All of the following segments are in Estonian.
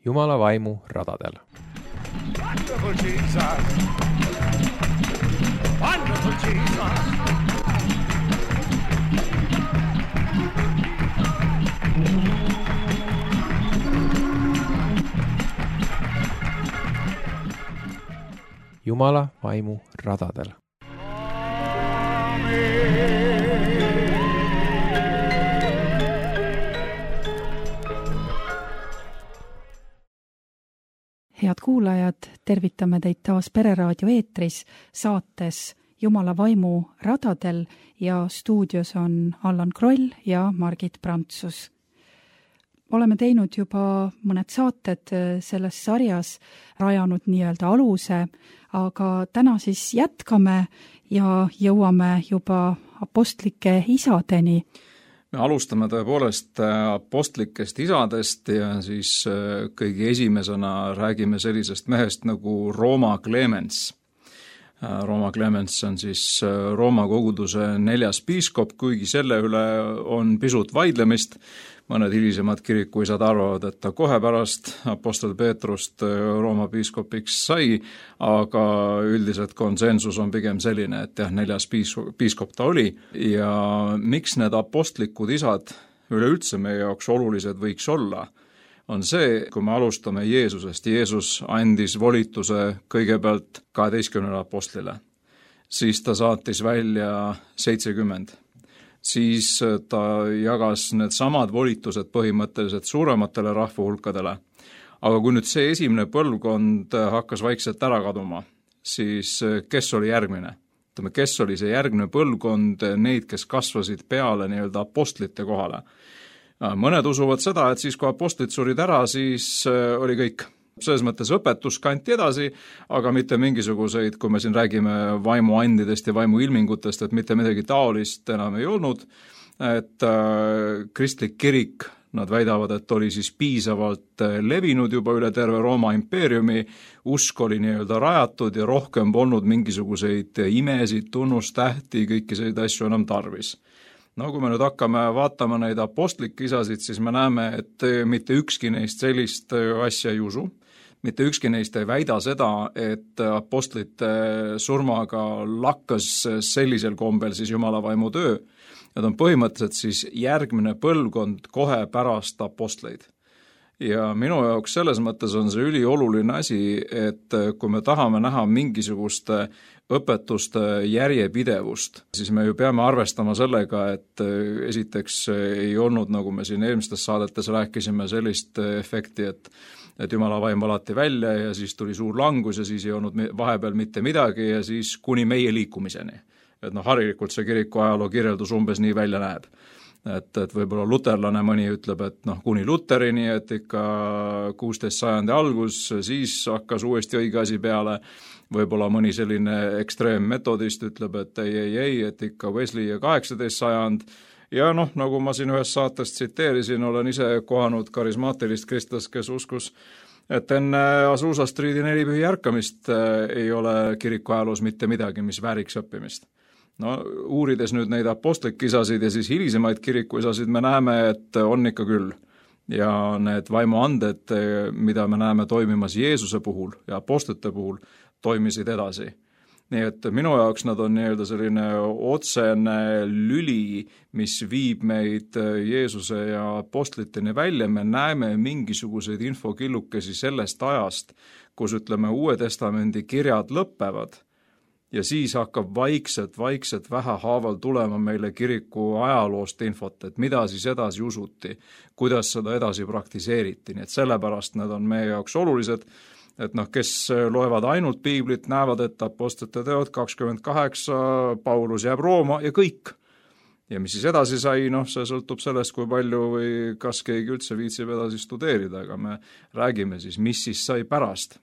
Jumala vaimu radadel. Wonderful Jesus! Wonderful Jesus! Jumala vaimu radadel. Head kuulajad, tervitame teid taas Pereraadio eetris saates Jumala vaimu radadel ja stuudios on Allan Kroll ja Margit Prantsus. Oleme teinud juba mõned saated selles sarjas, rajanud nii-öelda aluse, aga täna siis jätkame ja jõuame juba apostlike isadeni. Me alustame tõepoolest apostlikest isadest ja siis kõige esimesena räägime sellisest mehest nagu Rooma Clemens. Rooma Clemens on siis Rooma koguduse 4. piiskop, kuigi selle üle on pisut vaidlemist. Mõned hilisemad kirikuisad arvavad, et ta kohe pärast apostel Peetrust Rooma piiskopiks sai, aga üldiselt konsensus on pigem selline, et 4. piiskop ta oli. Ja miks need apostlikud isad üleüldse meie jaoks olulised võiks olla, on see, kui me alustame Jeesusest. Jeesus andis volituse kõigepealt 12 apostlile, siis ta saatis välja 70. Siis ta jagas need samad volitused põhimõtteliselt suurematele rahvahulkadele. Aga kui nüüd see esimene põlvkond hakkas vaikselt ära kaduma, siis kes oli järgmine? Kes oli see järgmine põlvkond, neid, kes kasvasid peale nii-öelda apostlite kohale? Mõned usuvad seda, et siis kui apostlid surid ära, siis oli kõik. Selles mõttes õpetus kanti edasi, aga mitte mingisuguseid, kui me siin räägime vaimuandidest ja vaimuilmingutest, et mitte midagi taolist enam ei olnud. Et kristlik kirik, nad väidavad, et oli siis piisavalt levinud juba üle terve Rooma impeeriumi, usk oli nii-öelda rajatud ja rohkem polnud mingisuguseid imesid, tunnustähti, kõiki selliseid asju enam tarvis. No kui me nüüd hakkame vaatama neid apostlikke isasid, siis me näeme, et mitte ükski neist sellist asja ei usu. Mitte ükski neist ei väida seda, et apostlite surmaga lakkas sellisel kombel siis Jumala vaimu töö. Need on põhimõtteliselt siis järgmine põlvkond kohe pärast apostleid. Ja minu jaoks selles mõttes on see ülioluline asi, et kui me tahame näha mingisugust õpetuste järjepidevust, siis me ju peame arvestama sellega, et esiteks ei olnud, nagu me siin eelmistes saadetes rääkisime, sellist efekti, et Jumala vaim valati välja ja siis tuli suur langus ja siis ei olnud vahepeal mitte midagi ja siis kuni meie liikumiseni. Et harilikult see kiriku ajaloo kirjeldus umbes nii välja näeb. Et võib-olla luterlane mõni ütleb, et kuni Luterini, et ikka 16. sajandi algus, siis hakkas uuesti õige asi peale. Võib-olla mõni selline ekstreemmetodist ütleb, et ei, et ikka Wesley ja 18. sajand. Ja nagu ma siin ühes saates tsiteerisin, olen ise kohanud karismaatilist kristlast, kes uskus, et enne Azusa Streeti 4 pühi ärkamist ei ole kiriku ajaloos mitte midagi, mis vääriks õppimist. Uurides nüüd neid apostlikisasid ja siis hilisemaid kirikuisasid, me näeme, et on ikka küll. Ja need vaimuanded, mida me näeme toimimas Jeesuse puhul ja apostlite puhul, toimisid edasi. Nii et minu jaoks nad on nii-öelda selline otsene lüli, mis viib meid Jeesuse ja apostliteni välja. Me näeme mingisuguseid infokillukesi sellest ajast, kus Uue Testamendi kirjad lõppevad. Ja siis hakkab vaikselt vähehaaval tulema meile kiriku ajaloost infot, et mida siis edasi usuti, kuidas seda edasi praktiseeriti. Nii et sellepärast need on meie jaoks olulised, et kes loevad ainult piiblit, näevad, et apostlite teod 28, Paulus jääb Rooma ja kõik. Ja mis siis edasi sai, see sõltub sellest, kui palju või kas keegi üldse viitsib edasi studeerida, aga me räägime siis, mis siis sai pärast.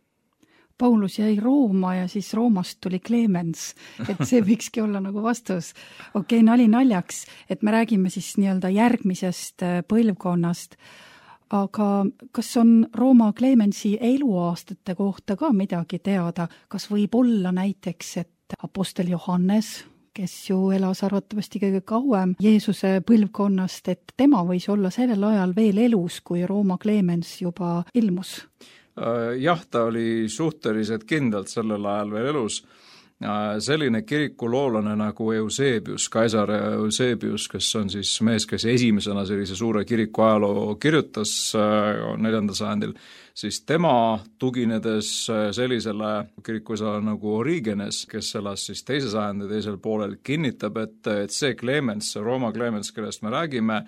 Paulus jäi Rooma ja siis Roomast tuli Clemens, et see võikski olla nagu vastus. Okei, nali naljaks, et me räägime siis nii-öelda järgmisest põlvkonnast, aga kas on Rooma Clemensi eluaastate kohta ka midagi teada? Kas võib olla näiteks, et apostel Johannes, kes ju elas arvatavasti kõige kauem Jeesuse põlvkonnast, et tema võis olla sellel ajal veel elus, kui Rooma Clemens juba ilmus? Jah, ta oli suhteliselt kindlalt sellel ajal veel elus. Selline kirikuloolane nagu Eusebius, Kaisar Eusebius, kes on siis mees, kes esimesena sellise suure kiriku ajaloo kirjutas 4. sajandil, siis tema tuginedes sellisele kirikuisale nagu Origenes, kes elas siis 2. sajandi teisel poolel, kinnitab, et see Clemens, Rooma Clemens, kellest me räägime,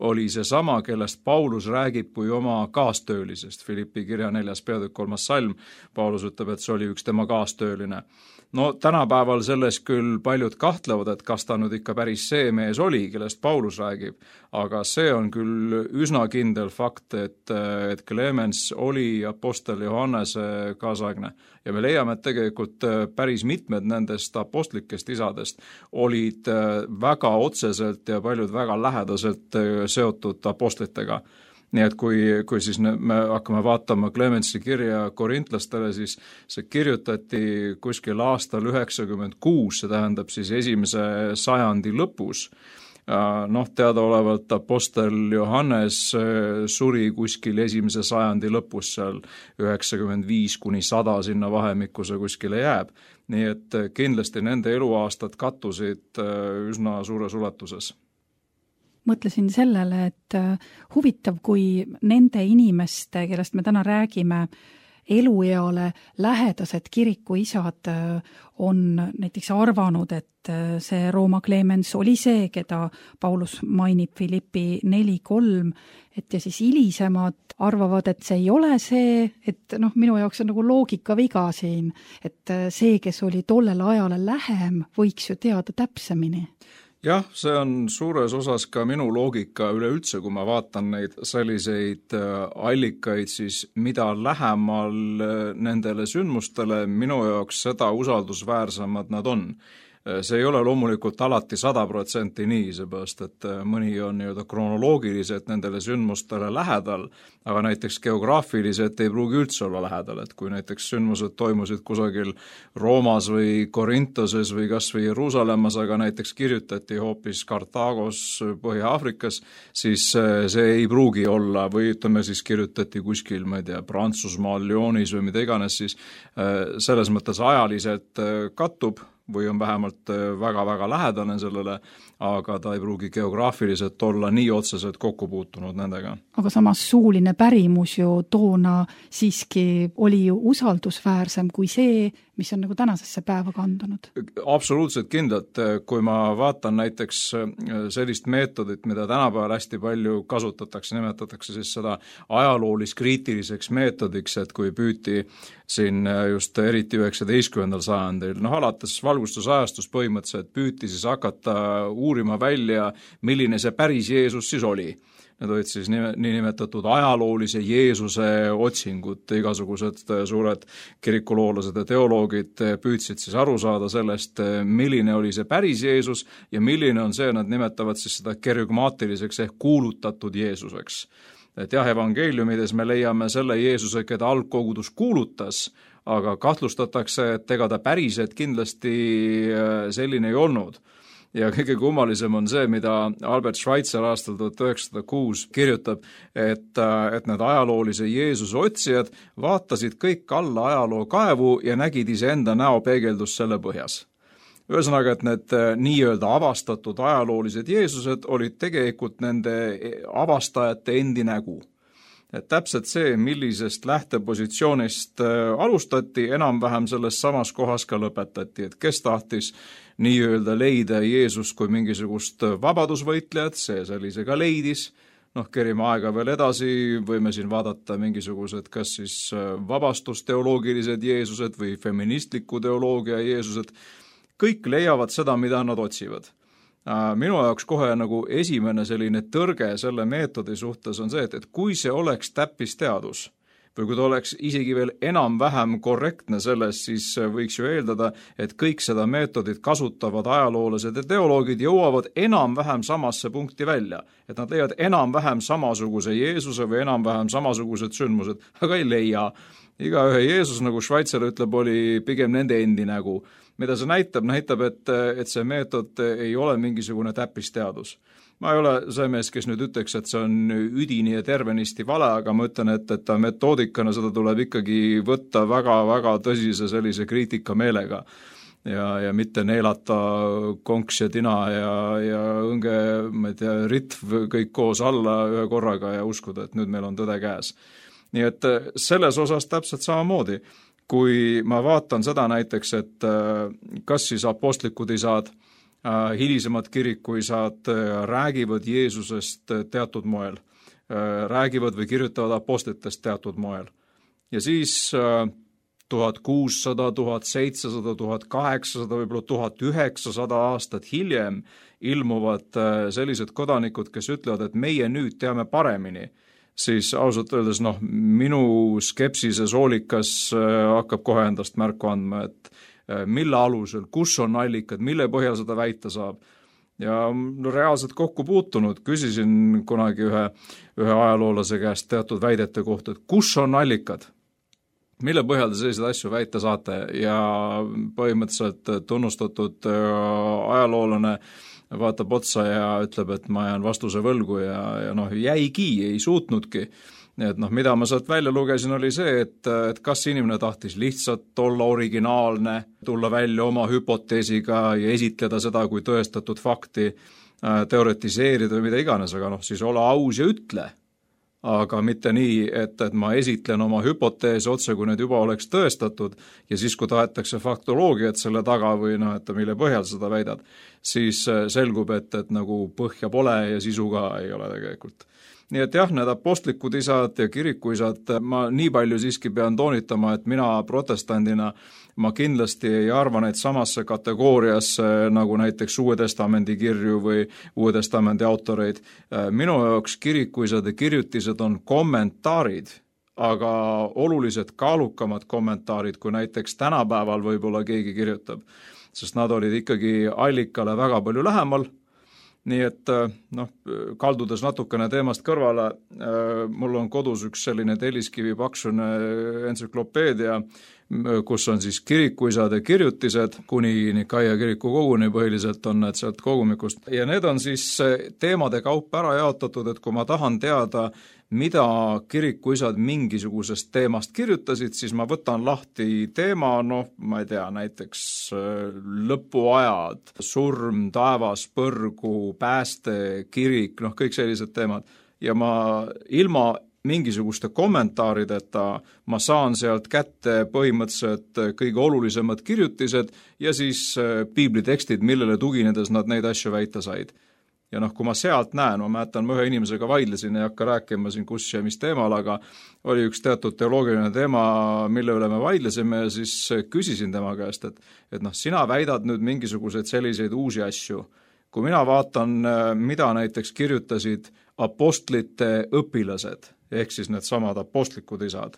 oli seesama, kellest Paulus räägib kui oma kaastöölisest. Filippi kirja 4. peatükk 3. salm, Paulus ütleb, et see oli üks tema kaastööline. No tänapäeval selles küll paljud kahtlevad, et kas ta nüüd ikka päris see mees oli, kellest Paulus räägib, aga see on küll üsna kindel fakt, et Clemens oli apostel Johannese kaasaegne. Ja me leiame, et tegelikult päris mitmed nendest apostlikest isadest olid väga otseselt ja paljud väga lähedaselt seotud apostlitega. Nii et kui siis me hakkame vaatama Clemensi kirja korintlastele, siis see kirjutati kuskil aastal 96, see tähendab siis 1. sajandi lõpus. Teadaolevalt apostel Johannes suri kuskil 1. sajandi lõpus, seal 95–100 sinna vahemikku see kuskile jääb. Nii et kindlasti nende eluaastad kattusid üsna suures ulatuses. Mõtlesin sellele, et huvitav, kui nende inimeste, kellest me täna räägime, elueale lähedased kirikuisad on näiteks arvanud, et see Rooma Clemens oli see, keda Paulus mainib Filippi 4.3, et ja siis hilisemad arvavad, et see ei ole see, et minu jaoks on nagu loogikaviga siin, et see, kes oli tollele ajale lähem, võiks ju teada täpsemini. Jah, see on suures osas ka minu loogika üleüldse, kui ma vaatan neid selliseid allikaid, siis mida lähemal nendele sündmustele, minu jaoks seda usaldusväärsemad nad on. See ei ole loomulikult alati 100% nii, seepärast, et mõni on kronoloogiliselt nendele sündmustele lähedal, aga näiteks geograafiliselt ei pruugi üldse olla lähedal, et kui näiteks sündmused toimusid kusagil Roomas või Korintoses või kas või Jeruusalemmas, aga näiteks kirjutati hoopis Kartaagos Põhja-Aafrikas, siis see ei pruugi olla, või ütleme siis kirjutati kuskil, ma ei tea, Prantsusmaal, Lyonis või mida iganes, siis selles mõttes ajaliselt kattub, või on vähemalt väga-väga lähedane sellele, aga ta ei pruugi geograafiliselt olla nii otseselt kokku puutunud nendega. Aga samas suuline pärimus ju toona siiski oli ju usaldusväärsem kui see, mis on nagu tänasesse päeva kandunud. Absoluutselt kindlalt, kui ma vaatan näiteks sellist meetodit, mida tänapäeval hästi palju kasutatakse, nimetatakse siis seda ajaloolis-kriitiliseks meetodiks, et kui püüti siin just eriti 19. sajandil, alates valgustusajastus põhimõtteliselt püüti siis hakata uurima välja, milline see päris Jeesus siis oli. Need olid siis niinimetatud ajaloolise Jeesuse otsingud, igasugused suured kirikuloolased ja teoloogid püüdsid siis aru saada sellest, milline oli see päris Jeesus ja milline on see, nad nimetavad siis seda kerygmaatiliseks ehk kuulutatud Jeesuseks. Et jah, evangeeliumides me leiame selle Jeesuse, keda algkogudus kuulutas, aga kahtlustatakse, et ega ta päriselt kindlasti selline ei olnud. Ja kõige kummalisem on see, mida Albert Schweitzer aastal 1906 kirjutab, et need ajaloolise Jeesuse otsijad vaatasid kõik alla ajaloo kaevu ja nägid iseenda näo peegeldust selle põhjas. Ühesõnaga, et need nii-öelda avastatud ajaloolised Jeesused olid tegelikult nende avastajate endi nägu. Et täpselt see, millisest lähtepositsioonist alustati, enam-vähem selles samas kohas ka lõpetati, et kes tahtis nii-öelda leida Jeesust kui mingisugust vabadusvõitlejat, see sellise ka leidis. Kerime aega veel edasi, võime siin vaadata mingisugused kas siis vabastusteoloogilised Jeesused või feministliku teoloogia Jeesused. Kõik leiavad seda, mida nad otsivad. Minu jaoks kohe nagu esimene selline tõrge selle meetodi suhtes on see, et kui see oleks täppisteadus või kui ta oleks isegi veel enam-vähem korrektne selles, siis võiks ju eeldada, et kõik seda meetodit kasutavad ajaloolased ja teoloogid jõuavad enam-vähem samasse punkti välja. Et nad leiavad enam-vähem samasuguse Jeesuse või enam-vähem samasugused sündmused, aga ei leia. Igaühe Jeesus, nagu Schweitzer ütleb, oli pigem nende endi nägu. mida see näitab, et see meetod ei ole mingisugune täppisteadus. Ma ei ole see mees, kes nüüd ütleks, et see on üdini ja tervenisti vale, aga ma ütlen, et metoodikana seda tuleb ikkagi võtta väga-väga tõsise sellise kriitika meelega ja mitte neelata konks ja tina ja õnge, ma ei tea, ritv kõik koos alla ühe korraga ja uskuda, et nüüd meil on tõde käes. Nii et selles osas täpselt samamoodi, kui ma vaatan seda näiteks, et kas siis apostlikud isad, hilisemad kirikuisad räägivad Jeesusest teatud moel, räägivad või kirjutavad apostlitest teatud moel. Ja siis 1600, 1700, 1800, võib-olla 1900 aastat hiljem ilmuvad sellised kodanikud, kes ütlevad, et meie nüüd teame paremini, siis ausalt öeldes minu skepsise soolikas hakkab kohe endast märku andma, et mille alusel, kus on allikad, mille põhjal seda väita saab. Ja reaalselt kokku puutunud, küsisin kunagi ühe ajaloolase käest teatud väidete kohta, et kus on allikad, mille põhjal te selliseid asju väita saate ja põhimõtteliselt tunnustatud ajaloolane vaatab otsa ja ütleb, et ma jään vastuse võlgu ja jäigi, ei suutnudki. Et mida ma sealt välja lugesin, oli see, et kas inimene tahtis lihtsalt olla originaalne, tulla välja oma hüpoteesiga ja esitleda seda kui tõestatud fakti, teoretiseerida või mida iganes, aga siis ole aus ja ütle. Aga mitte nii, et ma esitlen oma hüpoteese otse, kui need juba oleks tõestatud ja siis, kui tahetakse faktoloogiat selle taga või et mille põhjal seda väidad, siis selgub, et nagu põhja pole ja sisu ka ei ole tegelikult. Nii et jah, need apostlikud isad ja kirikuisad, ma nii palju siiski pean toonitama, et mina protestandina, ma kindlasti ei arva neid samasse kategooriasse nagu näiteks Uue Testamendi kirju või Uue Testamendi autoreid. Minu jaoks kirikuisad ja kirjutised on kommentaarid, aga oluliselt kaalukamad kommentaarid, kui näiteks tänapäeval võib-olla keegi kirjutab, sest nad olid ikkagi allikale väga palju lähemal. Nii et kaldudes natukene teemast kõrvale, mul on kodus üks selline telliskivi paksune entsüklopeedia, kus on siis kirikuisad ja kirjutised, kuni Nikaia kiriku koguni põhiliselt on need sealt kogumikust. Ja need on siis teemade kaupa ära jaotatud, et kui ma tahan teada, mida kirikuisad mingisugusest teemast kirjutasid, siis ma võtan lahti teema, ma ei tea, näiteks lõpuajad, surm, taevas, põrgu, pääste, kirik, kõik sellised teemad. Ja ma ilma mingisuguste kommentaarideta ma saan sealt kätte põhimõtteliselt kõige olulisemad kirjutised ja siis piiblitekstid, millele tuginedes nad neid asju väita said. Ja kui ma sealt näen, ma mäletan, ma ühe inimesega vaidlesin, ei hakka rääkima siin kus ja mis teemal, aga oli üks teatud teoloogiline teema, mille üle me vaidlesime ja siis küsisin tema käest, et sina väidad nüüd mingisuguseid selliseid uusi asju. Kui mina vaatan, mida näiteks kirjutasid apostlite õpilased, ehk siis need samad apostlikud isad,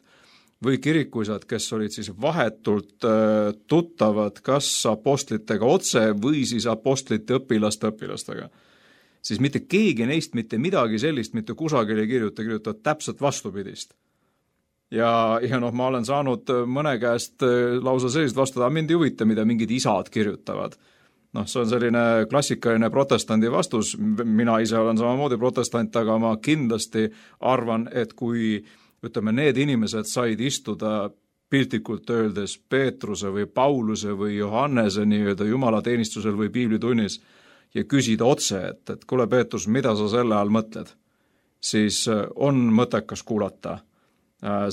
või kirikuisad, kes olid siis vahetult tuttavad kas apostlitega otse või siis apostlite õpilastega, siis mitte keegi neist mitte midagi sellist mitte kusagil ei kirjutavad täpselt vastupidist. Ja ma olen saanud mõne käest lausa sellist vastada, mind ei huvita, mida mingid isad kirjutavad. See on selline klassikaline protestandi vastus, mina ise olen samamoodi protestant, aga ma kindlasti arvan, et kui need inimesed said istuda piltlikult öeldes Peetruse või Pauluse või Johannese jumalateenistusel või piiblitunnis ja küsida otse, et kuule Peetrus, mida sa selle all mõtled, siis on mõttekas kuulata.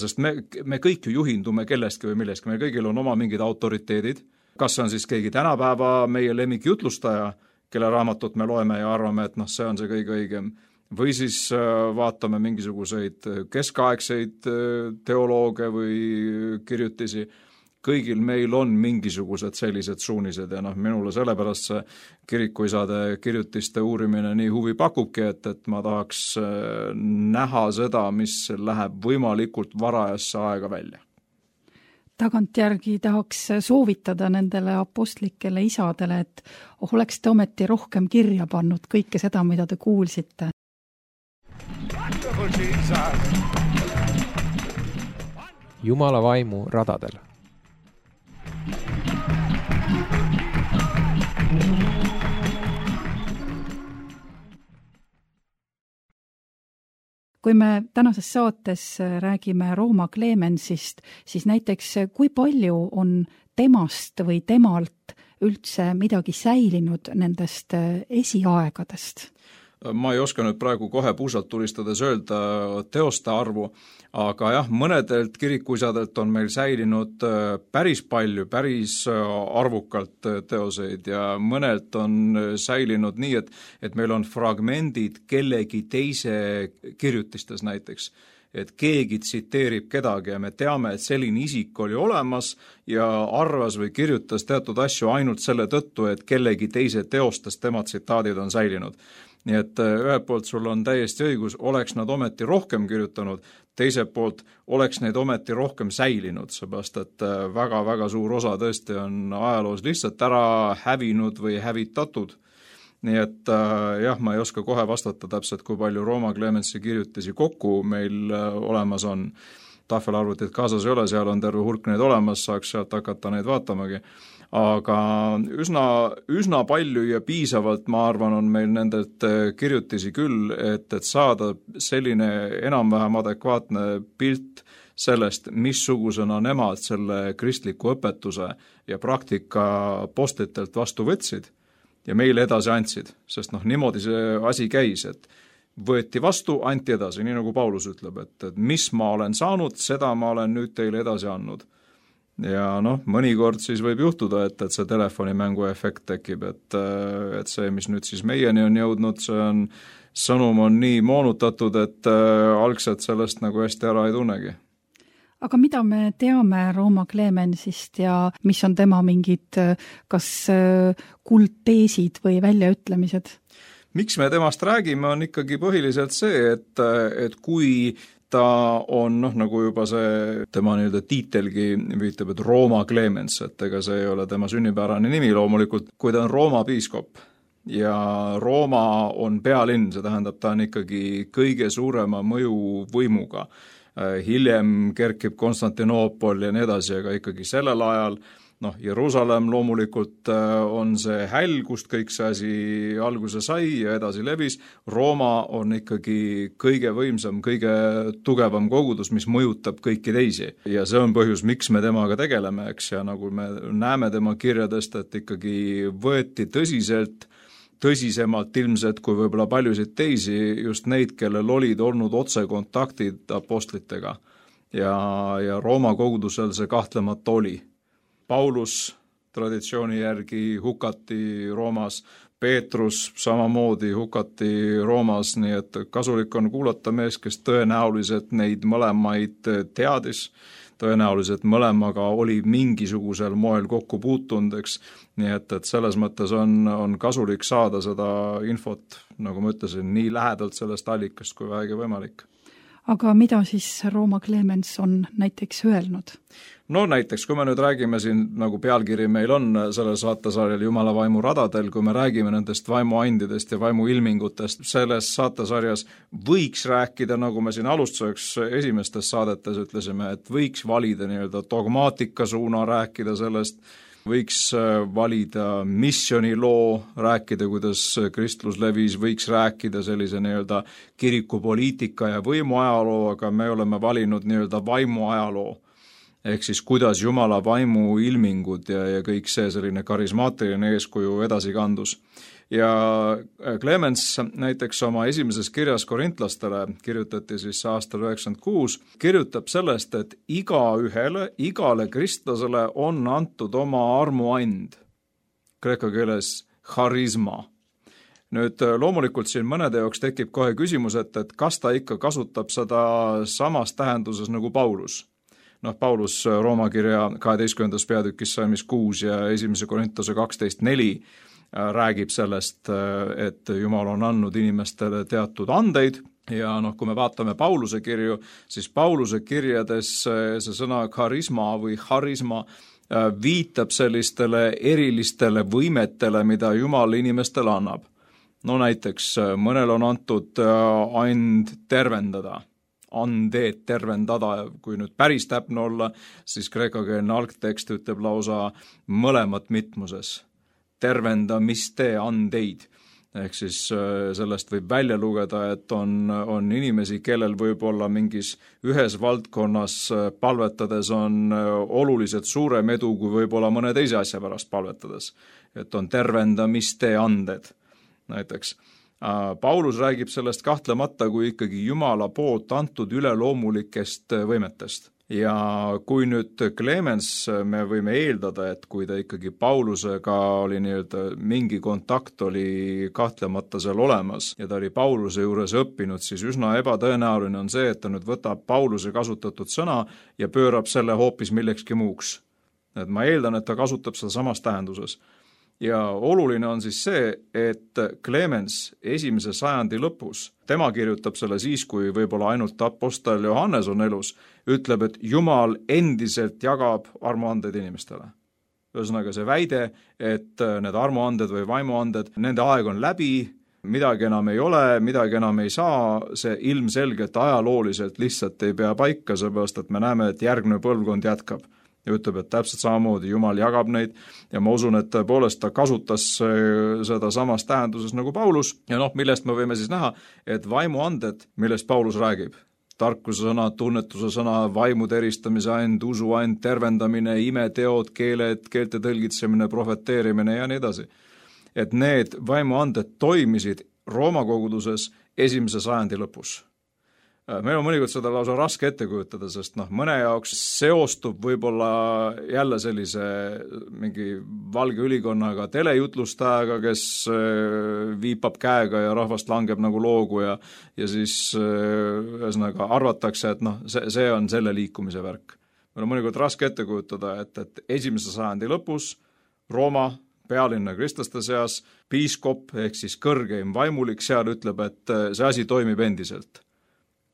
Sest me kõik ju juhindume kellestki või millestki, meil kõigil on oma mingid autoriteedid, kas on siis keegi tänapäeva meie lemmikjutlustaja, kelle raamatut me loeme ja arvame, et see on see kõige õigem, või siis vaatame mingisuguseid keskaegseid teolooge või kirjutisi. Kõigil meil on mingisugused sellised suunised ja minule sellepärast see kirikuisade kirjutiste uurimine nii huvi pakubki, et ma tahaks näha seda, mis läheb võimalikult varajasse aega välja. Tagantjärgi tahaks soovitada nendele apostlikele isadele, et oleks te ometi rohkem kirja pannud kõike seda, mida te kuulsite. Jumala vaimu radadel. kui me tänases saates räägime Rooma Clemensist, siis näiteks kui palju on temast või temalt üldse midagi säilinud nendest esiaegadest? Ma ei oska nüüd praegu kohe puusalt tulistades öelda teoste arvu, aga jah, mõnedelt kirikuisadelt on meil säilinud päris palju, päris arvukalt teoseid ja mõnelt on säilinud nii, et meil on fragmendid kellegi teise kirjutistes näiteks. Et keegi tsiteerib kedagi ja me teame, et selline isik oli olemas ja arvas või kirjutas teatud asju ainult selle tõttu, et kellegi teise teostest tema tsitaadid on säilinud. Nii et ühelt poolt sul on täiesti õigus, oleks nad ometi rohkem kirjutanud, teiselt poolt oleks neid ometi rohkem säilinud, seepärast et väga-väga suur osa tõesti on ajaloos lihtsalt ära hävinud või hävitatud. Nii et jah, ma ei oska kohe vastata täpselt, kui palju Rooma Clemensi kirjutisi kokku meil olemas on. Tahvelarvutit kaasas ei ole, seal on terve hulk neid olemas, saaks sealt hakata neid vaatamagi. Aga üsna palju ja piisavalt, ma arvan, on meil nendelt kirjutisi küll, et saada selline enam-vähem adekvaatne pilt sellest, missugusena nemad selle kristliku õpetuse ja praktika postlitelt vastu võtsid ja meile edasi andsid, sest niimoodi see asi käis, et võeti vastu, anti edasi, nii nagu Paulus ütleb, et mis ma olen saanud, seda ma olen nüüd teile edasi andnud. Ja mõnikord siis võib juhtuda, et see telefonimängu efekt tekib, et see, mis nüüd siis meieni on jõudnud, sõnum on nii moonutatud, et algselt sellest nagu hästi ära ei tunnegi. Aga mida me teame Rooma Clemensist ja mis on tema mingid kas kuldteesid või väljaütlemised? Miks me temast räägime, on ikkagi põhiliselt see, et kui ta on, nagu juba see tema tiitelgi viitab, et Rooma Clemens, et ega see ei ole tema sünnipärane nimi loomulikult, kui ta on Rooma piiskop ja Rooma on pealinn, see tähendab, ta on ikkagi kõige suurema mõjuvõimuga. Hiljem kerkib Konstantinoopol ja nii edasi, aga ikkagi sellel ajal Jeruusalemm loomulikult on see häll, kust kõik see asi alguse sai ja edasi levis. Rooma on ikkagi kõige võimsam, kõige tugevam kogudus, mis mõjutab kõiki teisi. Ja see on põhjus, miks me temaga tegeleme, eks, ja nagu me näeme tema kirjadest, et ikkagi võeti tõsisemalt ilmselt kui võib-olla paljusid teisi just neid, kellel olid olnud otsekontaktid apostlitega. Ja Rooma kogudusel see kahtlemata oli. Paulus traditsiooni järgi hukati Roomas, Peetrus samamoodi hukati Roomas, nii et kasulik on kuulata mees, kes tõenäoliselt neid mõlemaid teadis, tõenäoliselt mõlemaga oli mingisugusel moel kokku puutunud, eks. Nii et selles mõttes on kasulik saada seda infot, nagu ma ütlesin, nii lähedalt sellest allikast kui vähegi võimalik. Aga mida siis Rooma Clemens on näiteks öelnud? Näiteks, kui me nüüd räägime siin, nagu pealkiri meil on sellel saatesarjal Jumala vaimu radadel, kui me räägime nendest vaimuandidest ja vaimuilmingutest, selles saatesarjas võiks rääkida, nagu me siin alustuseks esimestes saadetes ütlesime, et võiks valida dogmaatika suuna, rääkida sellest, võiks valida missioniloo, rääkida, kuidas kristlus levis, võiks rääkida sellise kirikupoliitika ja võimuajaloo, aga me oleme valinud vaimuajaloo. Ehk siis kuidas Jumala vaimu ilmingud ja kõik see selline karismaatiline eeskuju edasi kandus. Ja Clemens näiteks oma esimeses kirjas korintlastele, kirjutati siis aastal 96, kirjutab sellest, et igale kristlasele on antud oma armuand, kreeka keeles charisma. Nüüd loomulikult siin mõnede jaoks tekib kohe küsimus, et kas ta ikka kasutab seda samas tähenduses nagu Paulus. Paulus Rooma kirja 12. peatükis salmis 6 ja 1. Korintuse 12.4 räägib sellest, et Jumal on andnud inimestele teatud andeid ja kui me vaatame Pauluse kirju, siis Pauluse kirjades see sõna charisma või charisma viitab sellistele erilistele võimetele, mida Jumal inimestele annab. Näiteks mõnel on antud and tervendada. Andeed tervendada, kui nüüd päris täpne olla, siis kreekakeelne algtekst ütleb lausa mõlemat mitmuses. Tervenda, mis tee andeid. ehk siis sellest võib välja lugeda, et on inimesi, kellel võib olla mingis ühes valdkonnas palvetades on oluliselt suurem edu, kui võib-olla mõne teise asja pärast palvetades. Et on tervendamiste anded näiteks. Paulus räägib sellest kahtlemata kui ikkagi Jumala poolt antud üleloomulikest võimetest. Ja kui nüüd Clemens, me võime eeldada, et kui ta ikkagi Paulusega oli mingi kontakt oli kahtlemata seal olemas ja ta oli Pauluse juures õppinud, siis üsna ebatõenäoline on see, et ta nüüd võtab Pauluse kasutatud sõna ja pöörab selle hoopis millekski muuks. Et ma eeldan, et ta kasutab seda samas tähenduses. Ja oluline on siis see, et Clemens 1. sajandi lõpus, tema kirjutab selle siis, kui võib-olla ainult apostel Johannes on elus, ütleb, et Jumal endiselt jagab armuandeid inimestele. Ühesõnaga see väide, et need armuanded või vaimuanded, nende aeg on läbi, midagi enam ei ole, midagi enam ei saa, see ilmselgelt ajalooliselt lihtsalt ei pea paika, seepärast et me näeme, et järgmine põlvkond jätkab. Ja ütleb, et täpselt samamoodi Jumal jagab neid ja ma usun, et tõepoolest ta kasutas seda samas tähenduses nagu Paulus ja millest me võime siis näha, et vaimuanded, millest Paulus räägib, tarkuse sõna, tunnetuse sõna, vaimude eristamise and, usu and, tervendamine, imeteod, keeled, keelte tõlgitsemine, profeteerimine ja nii edasi. Et need vaimuanded toimisid Rooma koguduses 1. sajandi lõpus. Meil on mõnikord seda lausa raske ette kujutada, sest mõne jaoks seostub võib-olla jälle sellise mingi valge ülikonnaga telejutlustajaga, kes viipab käega ja rahvast langeb nagu loogu ja siis ühesõnaga arvatakse, et see on selle liikumise värk. Meil on mõnikord raske ette kujutada, et 1. sajandi lõpus Rooma pealinna kristlaste seas piiskop ehk siis kõrgeim vaimulik seal ütleb, et see asi toimib endiselt.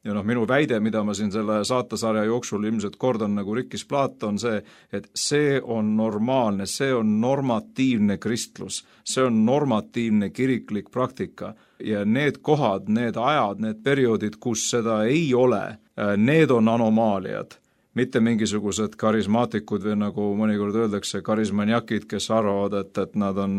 Ja minu väide, mida ma siin selle saatesarja jooksul ilmselt kordan nagu rikkis plaat, on see, et see on normaalne, see on normatiivne kristlus, see on normatiivne kiriklik praktika ja need kohad, need ajad, need perioodid, kus seda ei ole, need on anomaaliad. Mitte mingisugused karismaatikud või nagu mõnikord öeldakse karismaniakid, kes arvavad, et nad on,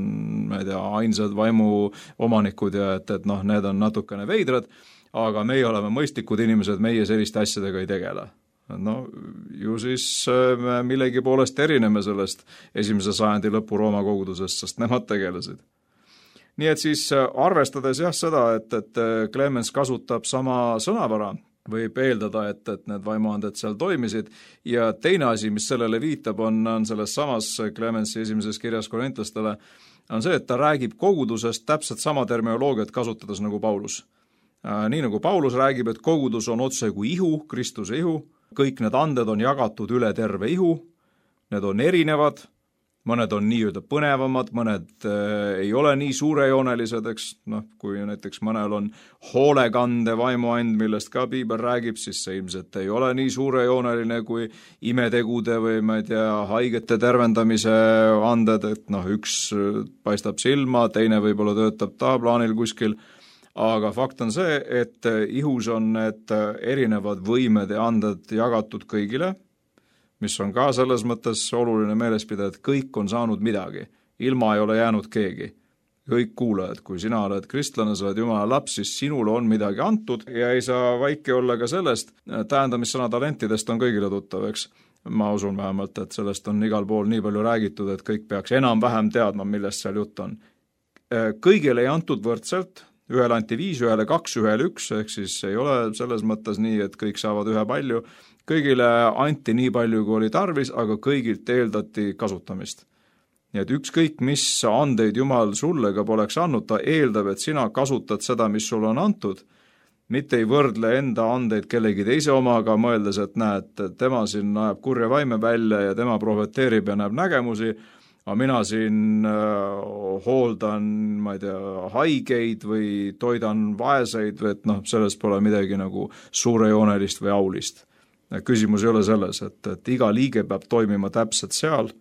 ma ei tea, ainsad vaimu omanikud ja et need on natukene veidrad, aga meie oleme mõistlikud inimesed, meie selliste asjadega ei tegele. Ju siis me millegi poolest erineme sellest 1. sajandi lõpu Rooma kogudusest, sest nemad tegelesid. Nii et siis arvestades seda, et Clemens kasutab sama sõnavara, võib eeldada, et need vaimuanded seal toimisid ja teine asi, mis sellele viitab, on selles samas Clemensi 1. kirjas korintlastele, on see, et ta räägib kogudusest täpselt sama terminoloogiat kasutades nagu Paulus. Nii nagu Paulus räägib, et kogudus on otse kui ihu, Kristuse ihu, kõik need anded on jagatud üle terve ihu, need on erinevad, mõned on nii-öelda põnevamad, mõned ei ole nii suurejoonelised, eks, kui näiteks mõnel on hoolekande vaimuand, millest ka piibel räägib, siis see ilmselt ei ole nii suurejooneline kui imetegude või ma ei tea, haigete tervendamise anded, et üks paistab silma, teine võib-olla töötab taplaanil kuskil, aga fakt on see, et ihus on need erinevad võimed ja anded jagatud kõigile, mis on ka selles mõttes oluline meeles pidada, et kõik on saanud midagi, ilma ei ole jäänud keegi. Kõik kuulajad, kui sina oled kristlane, sa oled Jumala laps, siis sinule on midagi antud ja ei saa vaiki olla ka sellest, tähendamissõna talentidest on kõigile tuttav, eks. Ma usun vähemalt, et sellest on igal pool nii palju räägitud, et kõik peaks enam-vähem teadma, millest seal jutt on. Kõigile ei antud võrdselt, ühele anti 5, ühele 2, ühele 1, ehk siis ei ole selles mõttes nii, et kõik saavad ühe palju. Kõigile anti nii palju, kui oli tarvis, aga kõigilt eeldati kasutamist. Nii et ükskõik, mis andeid Jumal sulle ka poleks andnud, ta eeldab, et sina kasutad seda, mis sulle on antud, mitte ei võrdle enda andeid kellegi teise omaga, mõeldes, et näed, tema siin näeb kurja vaime välja ja tema profeteerib ja näeb nägemusi, aga mina siin hooldan, ma ei tea, haigeid või toidan vaeseid või et selles pole midagi nagu suurejoonelist või aulist. Küsimus ei ole selles, et iga liige peab toimima täpselt seal,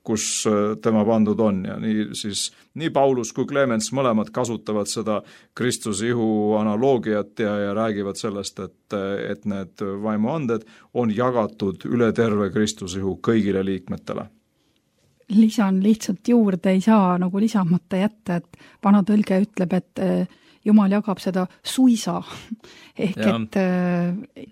kus tema pandud on ja nii Paulus kui Clemens mõlemad kasutavad seda Kristuse ihu analoogiat ja räägivad sellest, et need vaimuanded on jagatud üle terve Kristuse ihu kõigile liikmetele. lisan lihtsalt juurde, ei saa nagu lisamata jätta, et vana tõlge ütleb, et Jumal jagab seda suisa ehk et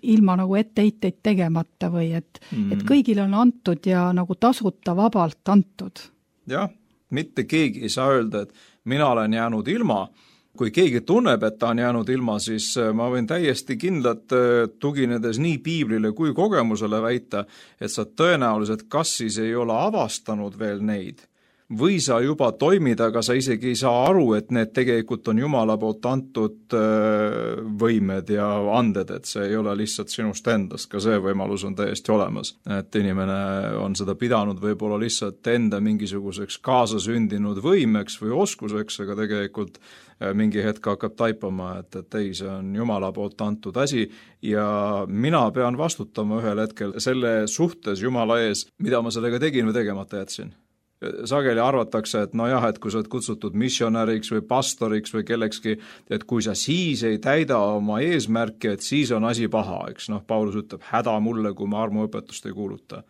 ilma nagu etteiteid tegemata või et kõigile on antud ja nagu tasuta vabalt antud. Jah, mitte keegi ei saa öelda, et mina olen jäänud ilma. Kui keegi tunneb, et ta on jäänud ilma, siis ma võin täiesti kindlalt tuginedes nii piiblile kui kogemusele väita, et sa tõenäoliselt kas siis ei ole avastanud veel neid, või sa juba toimid, aga sa isegi ei saa aru, et need tegelikult on Jumala poolt antud võimed ja anded, et see ei ole lihtsalt sinust endast, ka see võimalus on täiesti olemas. Et inimene on seda pidanud võib-olla lihtsalt enda mingisuguseks kaasasündinud võimeks või oskuseks, aga tegelikult mingi hetk hakkab taipama, et ei, see on Jumala poolt antud asi ja mina pean vastutama ühel hetkel selle suhtes Jumala ees, mida ma sellega tegin või tegemata jätsin. Sageli arvatakse, et no jah, et kui sa oled kutsutud missionäriks või pastoriks või kellekski, et kui sa siis ei täida oma eesmärki, et siis on asi paha, eks Paulus ütleb, häda mulle, kui ma armuõpetust ei kuuluta.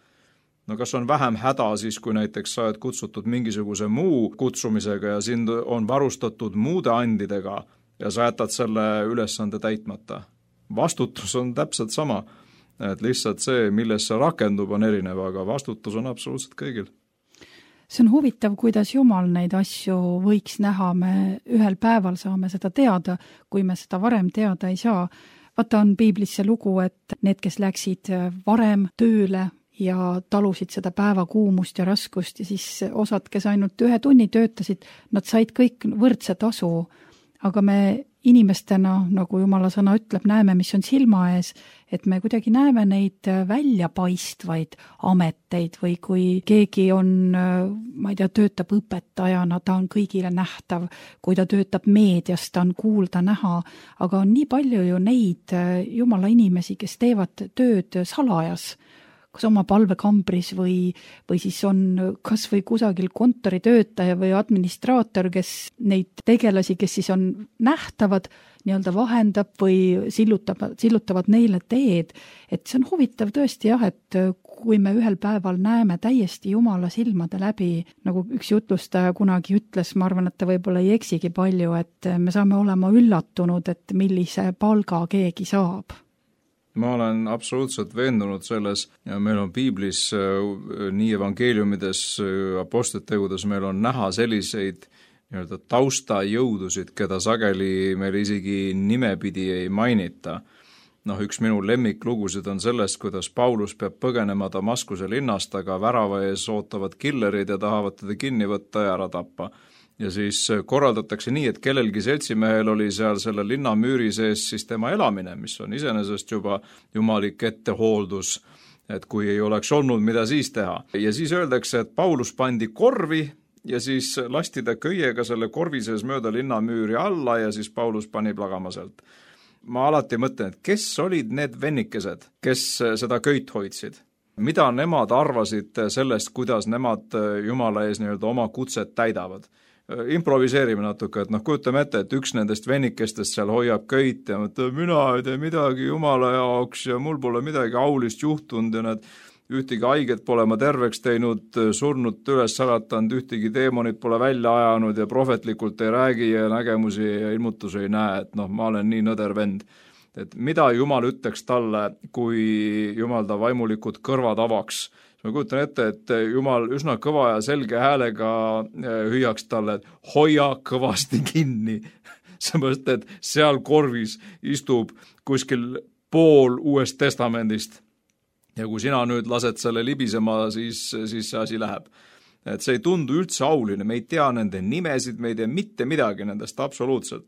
No kas on vähem häda siis, kui näiteks sa oled kutsutud mingisuguse muu kutsumisega ja sind on varustatud muude andidega ja sa jätad selle ülesande täitmata? Vastutus on täpselt sama, et lihtsalt see, milles see rakendub, on erinev, aga vastutus on absoluutselt kõigil. See on huvitav, kuidas Jumal neid asju võiks näha, me ühel päeval saame seda teada, kui me seda varem teada ei saa. Vaata on piiblis see lugu, et need, kes läksid varem tööle ja talusid seda päevakuumust ja raskust ja siis osad, kes ainult 1 tunni töötasid, nad said kõik võrdse tasu, aga me inimestena, nagu Jumala sõna ütleb, näeme, mis on silma ees, et me kuidagi näeme neid väljapaistvaid ameteid või kui keegi on, ma ei tea, töötab õpetajana, ta on kõigile nähtav, kui ta töötab meedias, ta on kuulda näha, aga on nii palju ju neid Jumala inimesi, kes teevad tööd salajas, kas oma palvekambris või siis on kas või kusagil kontoritöötaja või administraator, kes neid tegelasi, kes siis on nähtavad, nii-öelda vahendab või sillutavad neile teed. Et see on huvitav tõesti jah, et kui me ühel päeval näeme täiesti Jumala silmade läbi, nagu üks jutlustaja kunagi ütles, ma arvan, et ta võib-olla ei eksigi palju, et me saame olema üllatunud, et millise palga keegi saab. Ma olen absoluutselt veendunud selles ja meil on piiblis nii evangeeliumides, apostlitegudes meil on näha selliseid nii-öelda taustajõudusid, keda sageli meil isegi nimepidi ei mainita. Üks minu lemmiklugusid on sellest, kuidas Paulus peab põgenema Damaskuse linnast, aga värava ees ootavad killerid ja tahavad teda kinni võtta ja ära tappa. Ja siis korraldatakse nii, et kellelgi seltsimehel oli seal selle linna müüri sees siis tema elamine, mis on iseenesest juba jumalik ettehooldus, et kui ei oleks olnud, mida siis teha. Ja siis öeldakse, et Paulus pandi korvi ja siis lasti ta köiega selle korvi sees mööda linna müüri alla ja siis Paulus pani plagama sealt. Ma alati mõtlen, et kes olid need vennikesed, kes seda köit hoidsid? Mida nemad arvasid sellest, kuidas nemad Jumala ees nii-öelda oma kutset täidavad? Improviseerime natuke, et kujutame ette, et üks nendest vennikestest seal hoiab köit ja mõtleb, mina ei tee midagi Jumala jaoks ja mul pole midagi aulist juhtunud ja nad ühtegi haiget pole ma terveks teinud, surnud üles saratanud, ühtegi deemonit pole välja ajanud ja prohvetlikult ei räägi ja nägemusi ja ilmutusi ei näe, et ma olen nii nõder vend. Et mida Jumal ütleks talle, kui Jumal ta vaimulikud kõrvad avaks? Ma kujutan ette, et Jumal üsna kõva ja selge häälega hüüaks talle, et hoia kõvasti kinni. Seepärast, et seal korvis istub kuskil pool Uuest Testamendist. Ja kui sina nüüd lased selle libisema, siis see asi läheb. Et see ei tundu üldse auline, me ei tea nende nimesid, me ei tea mitte midagi nendest absoluutselt.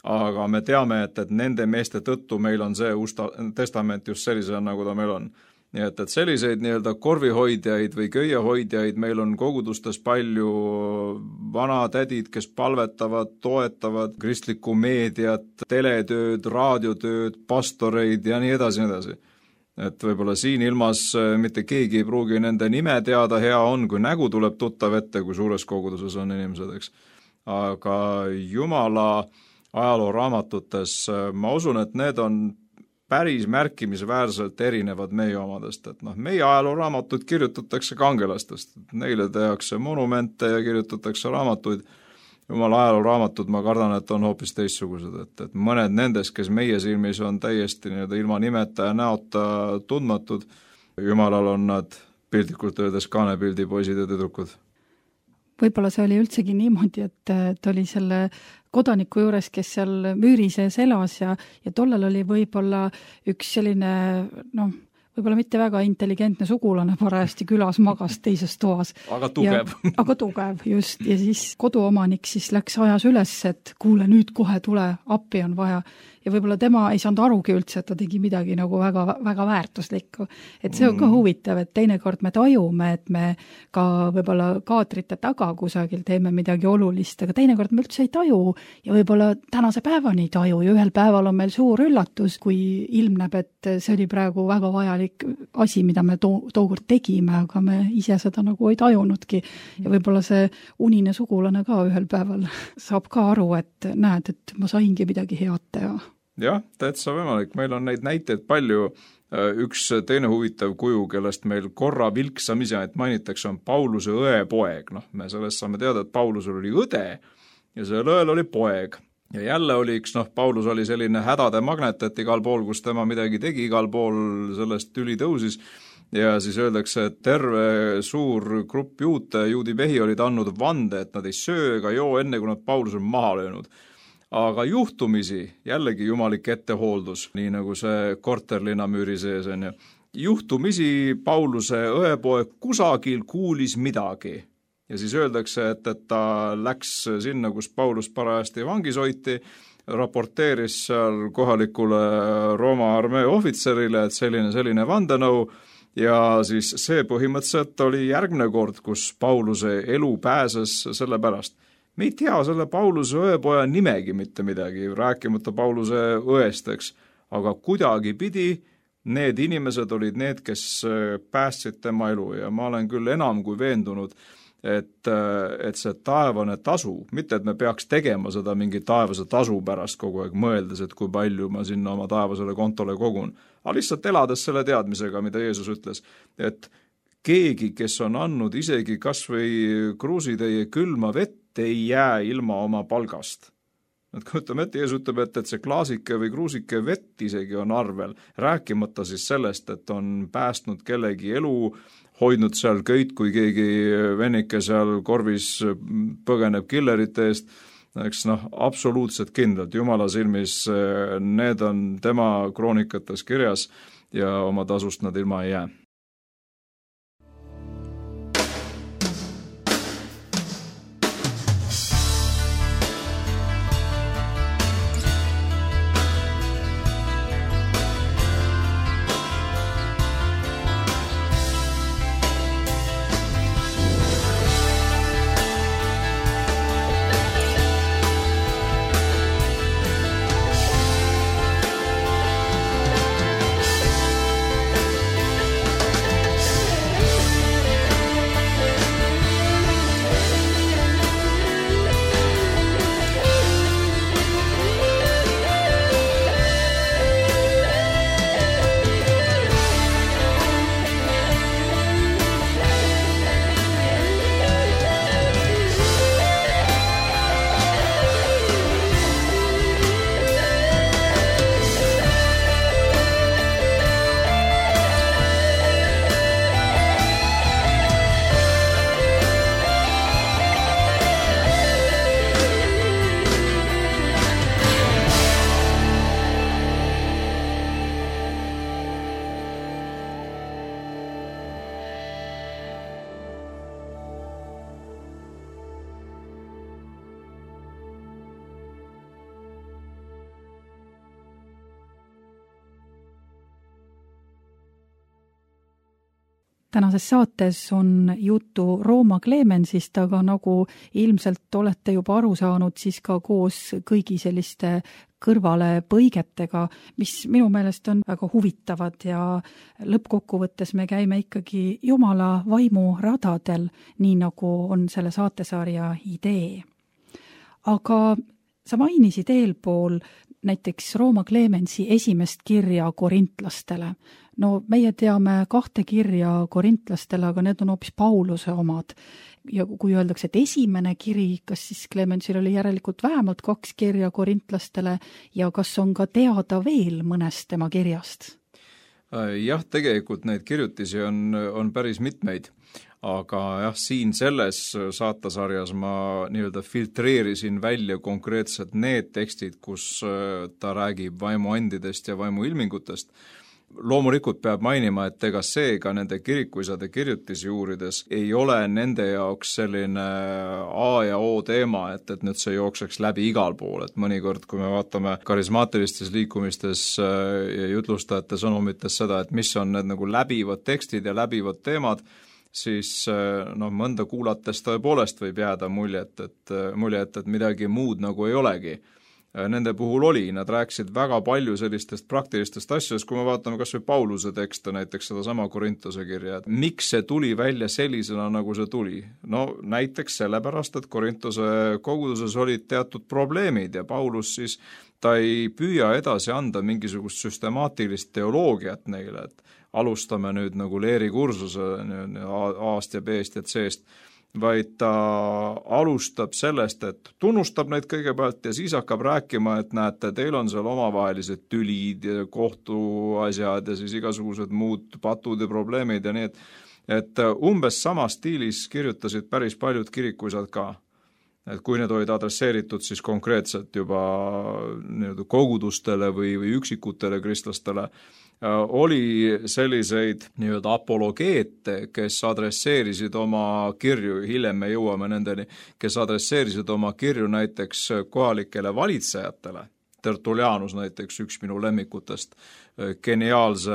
Aga me teame, et nende meeste tõttu meil on see Uus Testament just sellisena, nagu ta meil on. Nii et selliseid nii-öelda korvihoidjaid või köiehoidjaid meil on kogudustes palju, vanatädid, kes palvetavad, toetavad kristlikku meediat, teletööd, raadiotööd, pastoreid ja nii edasi, nii edasi. Et võib-olla siin ilmas mitte keegi ei pruugi nende nime teada, hea on, kui nägu tuleb tuttav ette, kui suures koguduses on inimesed, eks. Aga Jumala ajalooraamatutes ma usun, et need on päris märkimisväärselt erinevad meie omadest, et meie ajalooraamatuid kirjutatakse kangelastest, neile tehakse monumente ja kirjutatakse raamatuid, jumala ajalooraamatud, ma kardan, et on hoopis teistsugused, et mõned nendest, kes meie silmis on täiesti ilma nimeta ja näota tundmatud, jumalal on nad piltlikult öeldes kaanepildi poisid ja tüdrukud. Võib-olla see oli üldsegi niimoodi, et oli selle kodaniku juures, kes seal müüri sees elas ja tollel oli võib-olla üks selline, võib-olla mitte väga intelligentne sugulane parajasti külas magas teises toas. Aga tugev. Aga tugev, just. Ja siis koduomanik siis läks ajas üles, et kuule, nüüd kohe tule, appi on vaja. Ja võib-olla tema ei saanud arugi üldse, et ta tegi midagi nagu väga, väga väärtuslikku. Et see on ka huvitav, et teinekord me tajume, et me ka võib-olla kaadrite taga kusagil teeme midagi olulist, aga teinekord me üldse ei taju ja võib-olla tänase päevani ei taju ja ühel päeval on meil suur üllatus, kui ilmneb, et see oli praegu väga vajalik asi, mida me tookord tegime, aga me ise seda nagu ei tajunudki. Ja võib-olla see unine sugulane ka ühel päeval saab ka aru, et näed, et ma saingi midagi head teha. Jah, täitsa võimalik. Meil on neid näiteid palju. Üks teine huvitav kuju, kellest meil korra vilksamisi mainitakse, on Pauluse õepoeg. Me sellest saame teada, et Paulusel oli õde ja sellel õel oli poeg. Ja jälle oli Paulus oli selline hädade magnet, et igal pool, kus tema midagi tegi, igal pool sellest tüli tõusis. Ja siis öeldakse, et terve suur grupp juudi mehi olid andnud vande, et nad ei söö ega joo enne, kui nad Paulus on maha löönud. Aga juhtumisi, jällegi jumalik ettehooldus, nii nagu see korterlinna müüri sees on ju. Juhtumisi Pauluse õepoeg kusagil kuulis midagi. Ja siis öeldakse, et ta läks sinna, kus Paulus parajasti vangis hoiti, raporteeris seal kohalikule Rooma armee ohvitserile, et selline vandenõu. Ja siis see põhimõtteliselt oli järgmine kord, kus Pauluse elu pääses selle pärast. Me ei tea selle Pauluse õepoja nimegi mitte midagi, rääkimata Pauluse õest, eks. Aga kuidagi pidi need inimesed olid need, kes päästsid tema elu ja ma olen küll enam kui veendunud, et see taevane tasu, mitte et me peaks tegema seda mingi taevase tasu pärast kogu aeg mõeldes, et kui palju ma sinna oma taevasele kontole kogun, aga lihtsalt elades selle teadmisega, mida Jeesus ütles, et keegi, kes on andnud isegi kas või kruusitäie külma vett, ei jää ilma oma palgast. Kui ütleme, et Jeesus ütleb, et see klaasike või kruusike vett isegi on arvel, rääkimata siis sellest, et on päästnud kellegi elu, hoidnud seal köit, kui keegi vennike seal korvis põgeneb killerite eest, eks absoluutselt kindlalt Jumala silmis need on tema kroonikates kirjas ja oma tasust nad ilma ei jää. Tänases saates on juttu Rooma Clemensist, aga nagu ilmselt olete juba aru saanud, siis ka koos kõigi selliste kõrvale põigetega, mis minu meelest on väga huvitavad ja lõppkokkuvõttes me käime ikkagi Jumala vaimu radadel, nii nagu on selle saatesarja idee. Aga sa mainisid eelpool näiteks Rooma Clemensi esimest kirja korintlastele. No meie teame 2 kirja korintlastele, aga need on hoopis Pauluse omad. Ja kui öeldakse, et esimene kiri, kas siis Clemensil oli järelikult vähemalt 2 kirja korintlastele ja kas on ka teada veel mõnest tema kirjast? Jah, tegelikult neid kirjutisi on päris mitmeid, aga jah, siin selles saatasarjas ma nii-öelda filtreerisin välja konkreetselt need tekstid, kus ta räägib vaimuandidest ja vaimuilmingutest. Loomulikult peab mainima, et ega see ka nende kirikuisade kirjutisi uurides ei ole nende jaoks selline A ja O teema, et nüüd see jookseks läbi igal pool, et mõnikord, kui me vaatame karismaatilistes liikumistes ja jutlustajate sõnumites seda, et mis on need nagu läbivad tekstid ja läbivad teemad, siis mõnda kuulates tõepoolest võib jääda muljet, et midagi muud nagu ei olegi. Nende puhul oli, nad rääkisid väga palju sellistest praktilistest asjadest, kui me vaatame kas või Pauluse tekste, näiteks seda sama Korintuse kirja, et miks see tuli välja sellisena, nagu see tuli? No näiteks sellepärast, et Korintuse koguduses olid teatud probleemid ja Paulus siis ta ei püüa edasi anda mingisugust süstemaatilist teoloogiat neile, et alustame nüüd nagu leerikursuse A-st ja B-st ja C-st, vaid ta alustab sellest, et tunnustab neid kõigepealt ja siis hakkab rääkima, et näete, teil on seal omavahelised tülid ja kohtuasjad ja siis igasugused muud patud ja probleemid ja nii, et umbes sama stiilis kirjutasid päris paljud kirikuisad ka. Et kui need olid adresseeritud siis konkreetselt juba kogudustele või üksikutele kristlastele, oli selliseid nii-öelda apologeete, kes adresseerisid oma kirju, hiljem me jõuame nendeni, kes adresseerisid oma kirju näiteks kohalikele valitsejatele. Tertulianus näiteks, üks minu lemmikutest, geniaalse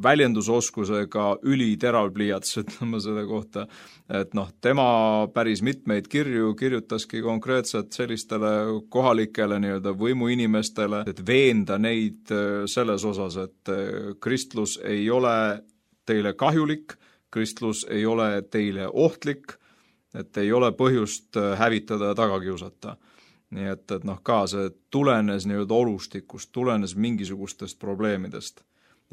väljendusoskusega üliteravpliiats, ütleme selle kohta, et tema päris mitmeid kirju kirjutaski konkreetselt sellistele kohalikele nii-öelda võimuinimestele, et veenda neid selles osas, et kristlus ei ole teile kahjulik, kristlus ei ole teile ohtlik, et ei ole põhjust hävitada ja taga kiusata. Nii et ka see tulenes nii-öelda olustikust, tulenes mingisugustest probleemidest.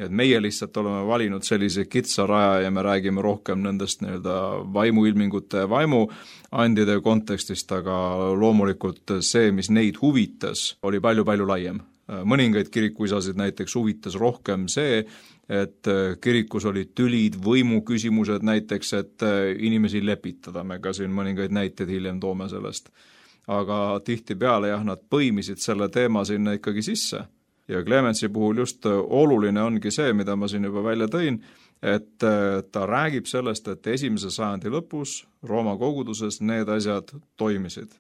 Ja et meie lihtsalt oleme valinud sellise kitsa raja ja me räägime rohkem nendest nii-öelda vaimuilmingute ja vaimuandide kontekstist, aga loomulikult see, mis neid huvitas, oli palju-palju laiem. Mõningaid kirikuisasid näiteks huvitas rohkem see, et kirikus olid tülid, võimuküsimused näiteks, et inimesi lepitada. Me ka siin mõningaid näiteid hiljem toome sellest. Aga tihtipeale nad põimisid selle teema sinna ikkagi sisse. Ja Clemensi puhul just oluline ongi see, mida ma siin juba välja tõin, et ta räägib sellest, et 1. sajandi lõpus Rooma koguduses need asjad toimisid.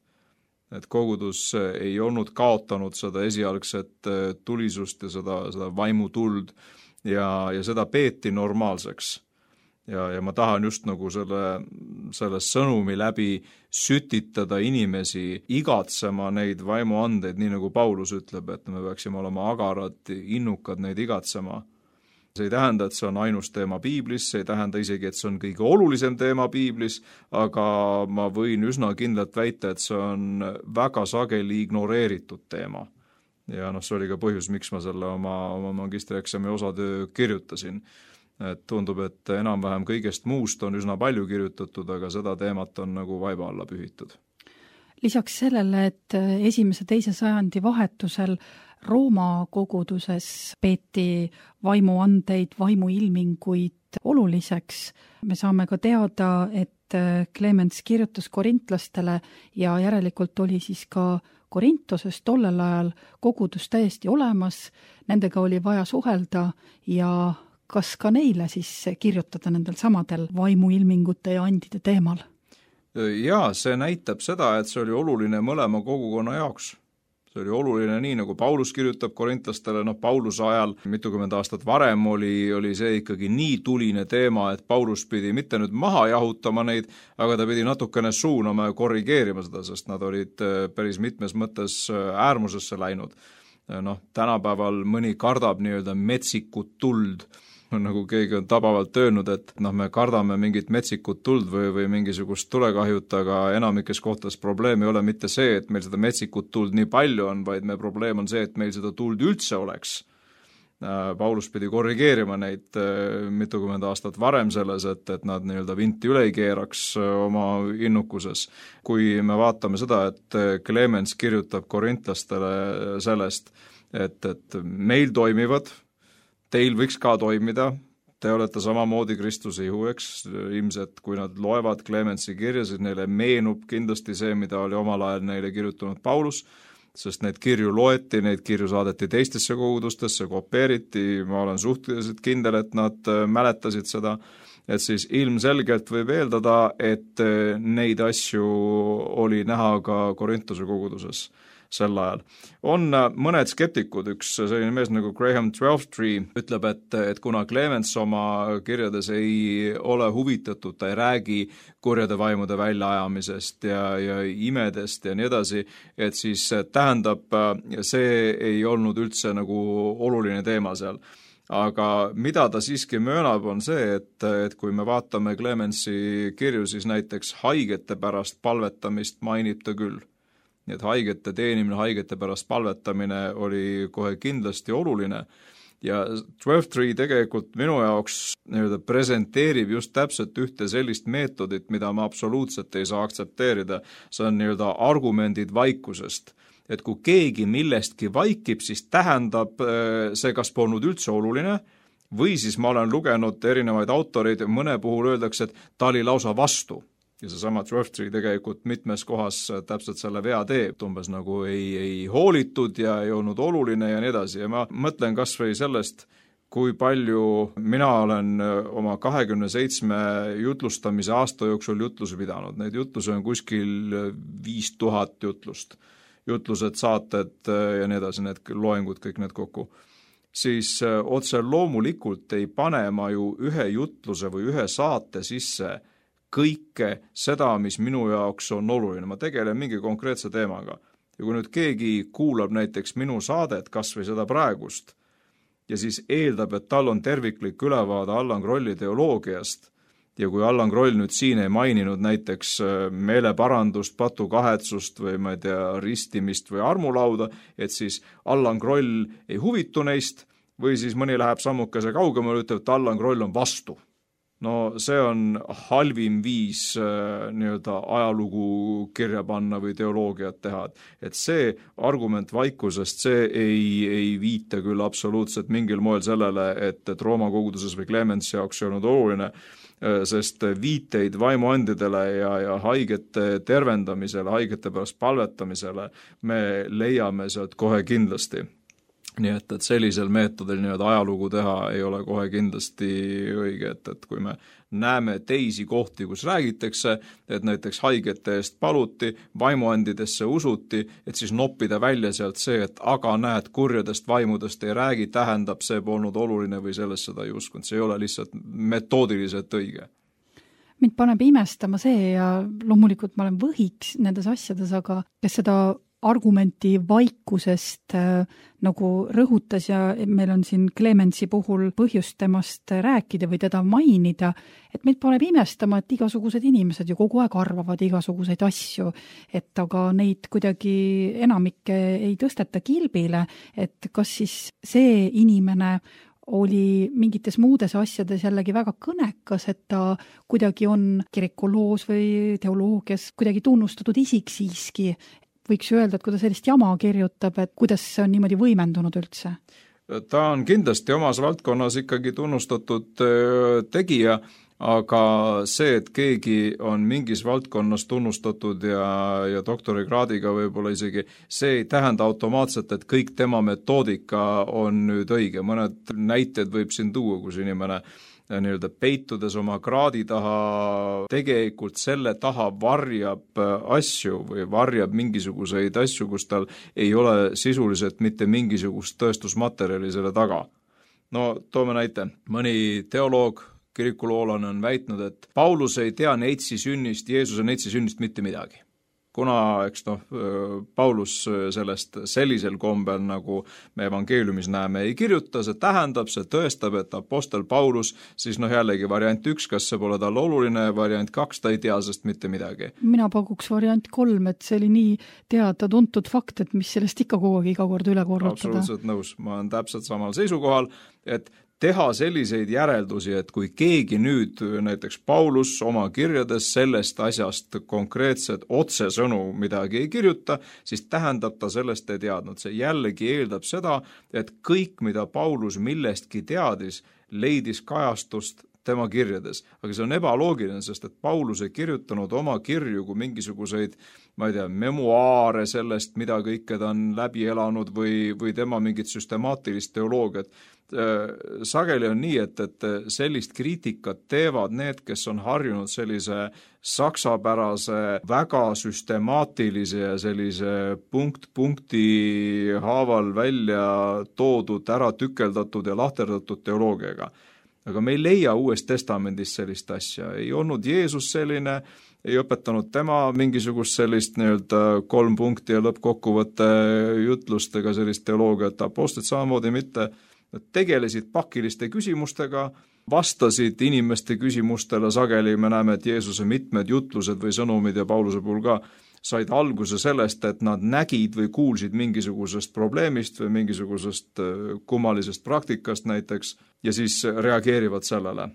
Et kogudus ei olnud kaotanud seda esialgset tulisust ja seda vaimutuld ja seda peeti normaalseks. Ja ma tahan just nagu selle sõnumi läbi sütitada inimesi igatsema neid vaimuandeid, nii nagu Paulus ütleb, et me peaksime olema agarad, innukad neid igatsema. See ei tähenda, et see on ainus teema piiblis, see ei tähenda isegi, et see on kõige olulisem teema piiblis, aga ma võin üsna kindlalt väita, et see on väga sageli ignoreeritud teema. Ja see oli ka põhjus, miks ma selle oma magistrieksami osatöö kirjutasin. Et tundub, et enam-vähem kõigest muust on üsna palju kirjutatud, aga seda teemat on nagu vaiba alla pühitud. Lisaks sellele, et 1.–2. sajandi vahetusel Rooma koguduses peeti vaimuandeid, vaimuilminguid oluliseks, me saame ka teada, et Clemens kirjutas korintlastele ja järelikult oli siis ka Korintoses tollel ajal kogudus täiesti olemas, nendega oli vaja suhelda ja kas ka neile siis kirjutada nendel samadel vaimuilmingute ja andide teemal? Jaa, see näitab seda, et see oli oluline mõlema kogukonna jaoks. See oli oluline nii, nagu Paulus kirjutab korintlastele, Pauluse ajal mitukümmend aastat varem oli see ikkagi nii tuline teema, et Paulus pidi mitte nüüd maha jahutama neid, aga ta pidi natukene suunama ja korrigeerima seda, sest nad olid päris mitmes mõttes äärmusesse läinud. Tänapäeval mõni kardab nii-öelda metsikut tuld, nagu keegi on tabavalt öelnud, et me kardame mingit metsikut tuld või mingisugust tulekahjut, aga enamikes kohtades probleem ei ole mitte see, et meil seda metsikut tuld nii palju on, vaid meie probleem on see, et meil seda tuld üldse oleks. Paulus pidi korrigeerima neid mitukümmend aastat varem selles, et nad nii-öelda vinti üle ei keeraks oma innukuses. Kui me vaatame seda, et Clemens kirjutab korintlastele sellest, et meil toimivad, teil võiks ka toimida, te olete samamoodi Kristuse ihu, eks, ilmselt kui nad loevad Clemensi kirja, siis neile meenub kindlasti see, mida oli omal ajal neile kirjutanud Paulus, sest neid kirju loeti, neid kirju saadeti teistesse kogudustesse, kopeeriti, ma olen suhteliselt kindel, et nad mäletasid seda, et siis ilmselgelt võib eeldada, et neid asju oli näha ka Korintuse koguduses sel ajal. On mõned skeptikud, üks selline mees nagu Graham Twelftree ütleb, et kuna Clemens oma kirjades ei ole huvitatud, ta ei räägi kurjade vaimude väljaajamisest ja imedest ja nii edasi, et siis tähendab, see ei olnud üldse nagu oluline teema seal. Aga mida ta siiski möönab, on see, et kui me vaatame Clemensi kirju, siis näiteks haigete pärast palvetamist mainib ta küll. Nii et haigete teenimine, haigete pärast palvetamine oli kohe kindlasti oluline ja Twelftree tegelikult minu jaoks presenteerib just täpselt ühte sellist meetodit, mida ma absoluutselt ei saa aktsepteerida. See on argumendid vaikusest. Et kui keegi millestki vaikib, siis tähendab see, kas polnud üldse oluline või siis ma olen lugenud erinevaid autoreid ja mõne puhul öeldakse, et ta oli lausa vastu. Ja seesama Twelftree tegelikult mitmes kohas täpselt selle vea teeb, umbes nagu ei hoolitud ja ei olnud oluline ja nii edasi. Ja ma mõtlen kas või sellest, kui palju mina olen oma 27 jutlustamise aasta jooksul jutlusi pidanud. Neid jutlusi on kuskil 5000 jutlust. Jutlused, saated ja nii edasi, need loengud, kõik need kokku. Siis otse loomulikult ei pane ma ju ühe jutluse või ühe saate sisse kõike seda, mis minu jaoks on oluline. Ma tegelen mingi konkreetse teemaga. Ja kui nüüd keegi kuulab näiteks minu saadet, kas või seda praegust, ja siis eeldab, et tal on terviklik ülevaade Allan Krolli teoloogiast, ja kui Allan Kroll nüüd siin ei maininud näiteks meeleparandust, patukahetsust või ma ei tea, ristimist või armulauda, et siis Allan Kroll ei huvitu neist, või siis mõni läheb sammukese kaugemale ja ütleb, et Allan Kroll on vastu. No see on halvim viis ajalugu kirja panna või teoloogiat teha. Et see argument vaikusest, see ei viita küll absoluutselt mingil moel sellele, et Rooma koguduses või Clemensi jaoks ei olnud oluline, sest viiteid vaimuandidele ja haigete tervendamisele, haigete pärast palvetamisele me leiame sealt kohe kindlasti. Nii et sellisel meetodil ajalugu teha ei ole kohe kindlasti õige, et kui me näeme teisi kohti, kus räägitakse, et näiteks haigete eest paluti, vaimuandidesse usuti, et siis noppida välja sealt see, et aga näed, kurjadest vaimudest ei räägi, tähendab, see polnud oluline või sellest seda ei uskunud. See ei ole lihtsalt metoodiliselt õige. Mind paneb imestama see ja loomulikult ma olen võhiks nendes asjades, aga kes seda argumenti vaikusest nagu rõhutas ja meil on siin Clemensi puhul põhjust temast rääkida või teda mainida, et meid paneb imestama, et igasugused inimesed ju kogu aeg arvavad igasuguseid asju, et aga neid kuidagi enamikke ei tõsteta kilbile, et kas siis see inimene oli mingites muudes asjades jällegi väga kõnekas, et ta kuidagi on kirikuloos või teoloogias kuidagi tunnustatud isik siiski. Võiks ju öelda, et kui ta sellist jama kirjutab, et kuidas see on niimoodi võimendunud üldse? Ta on kindlasti omas valdkonnas ikkagi tunnustatud tegija, aga see, et keegi on mingis valdkonnas tunnustatud ja doktorikraadiga võib-olla isegi, see ei tähenda automaatselt, et kõik tema metoodika on nüüd õige. Mõned näited võib siin tuua, kus inimene peitudes oma kraadi taha, tegelikult selle taha varjab asju või varjab mingisuguseid asju, kus tal ei ole sisuliselt mitte mingisugust tõestusmaterjali selle taga. No toome näite. Mõni teoloog, kirikuloolane on väitnud, et Paulus ei tea neitsi sünnist, Jeesuse neitsi sünnist mitte midagi. kuna eks Paulus sellest sellisel kombel, nagu me evangeeliumis näeme, ei kirjuta, see tähendab, see tõestab, et apostel Paulus, siis jällegi variant 1, kas see pole tal oluline, variant 2, ta ei tea sest mitte midagi. Mina pakuks variant 3, et see oli nii teada-tuntud fakt, et mis sellest ikka kogu aeg iga kord üle korrutada. Absoluutselt nõus, ma olen täpselt samal seisukohal, et teha selliseid järeldusi, et kui keegi nüüd, näiteks Paulus oma kirjades sellest asjast konkreetset otsesõnu midagi ei kirjuta, siis tähendab ta sellest ei teadnud. See jällegi eeldab seda, et kõik, mida Paulus millestki teadis, leidis kajastust tema kirjades. Aga see on ebaloogiline, sest et Paulus ei kirjutanud oma kirju kui mingisuguseid, memuaare sellest, mida kõike ta on läbi elanud või tema mingit süstemaatilist teoloogiat. Sageli on nii, et sellist kriitikat teevad need, kes on harjunud sellise saksapärase, väga süstemaatilise ja sellise punkti haaval välja toodud, ära tükeldatud ja lahterdatud teoloogiaga. Aga me ei leia Uues Testamendis sellist asja. Ei olnud Jeesus selline, ei õpetanud tema mingisugust sellist 3 punkti ja lõppkokkuvõtte jutlust ega sellist teoloogiat. Apostlid samamoodi mitte. Nad tegelesid pakiliste küsimustega, vastasid inimeste küsimustele sageli. Me näeme, et Jeesuse mitmed jutlused või sõnumid ja Pauluse puhul ka said alguse sellest, et nad nägid või kuulsid mingisugusest probleemist või mingisugusest kummalisest praktikast näiteks ja siis reageerivad sellele.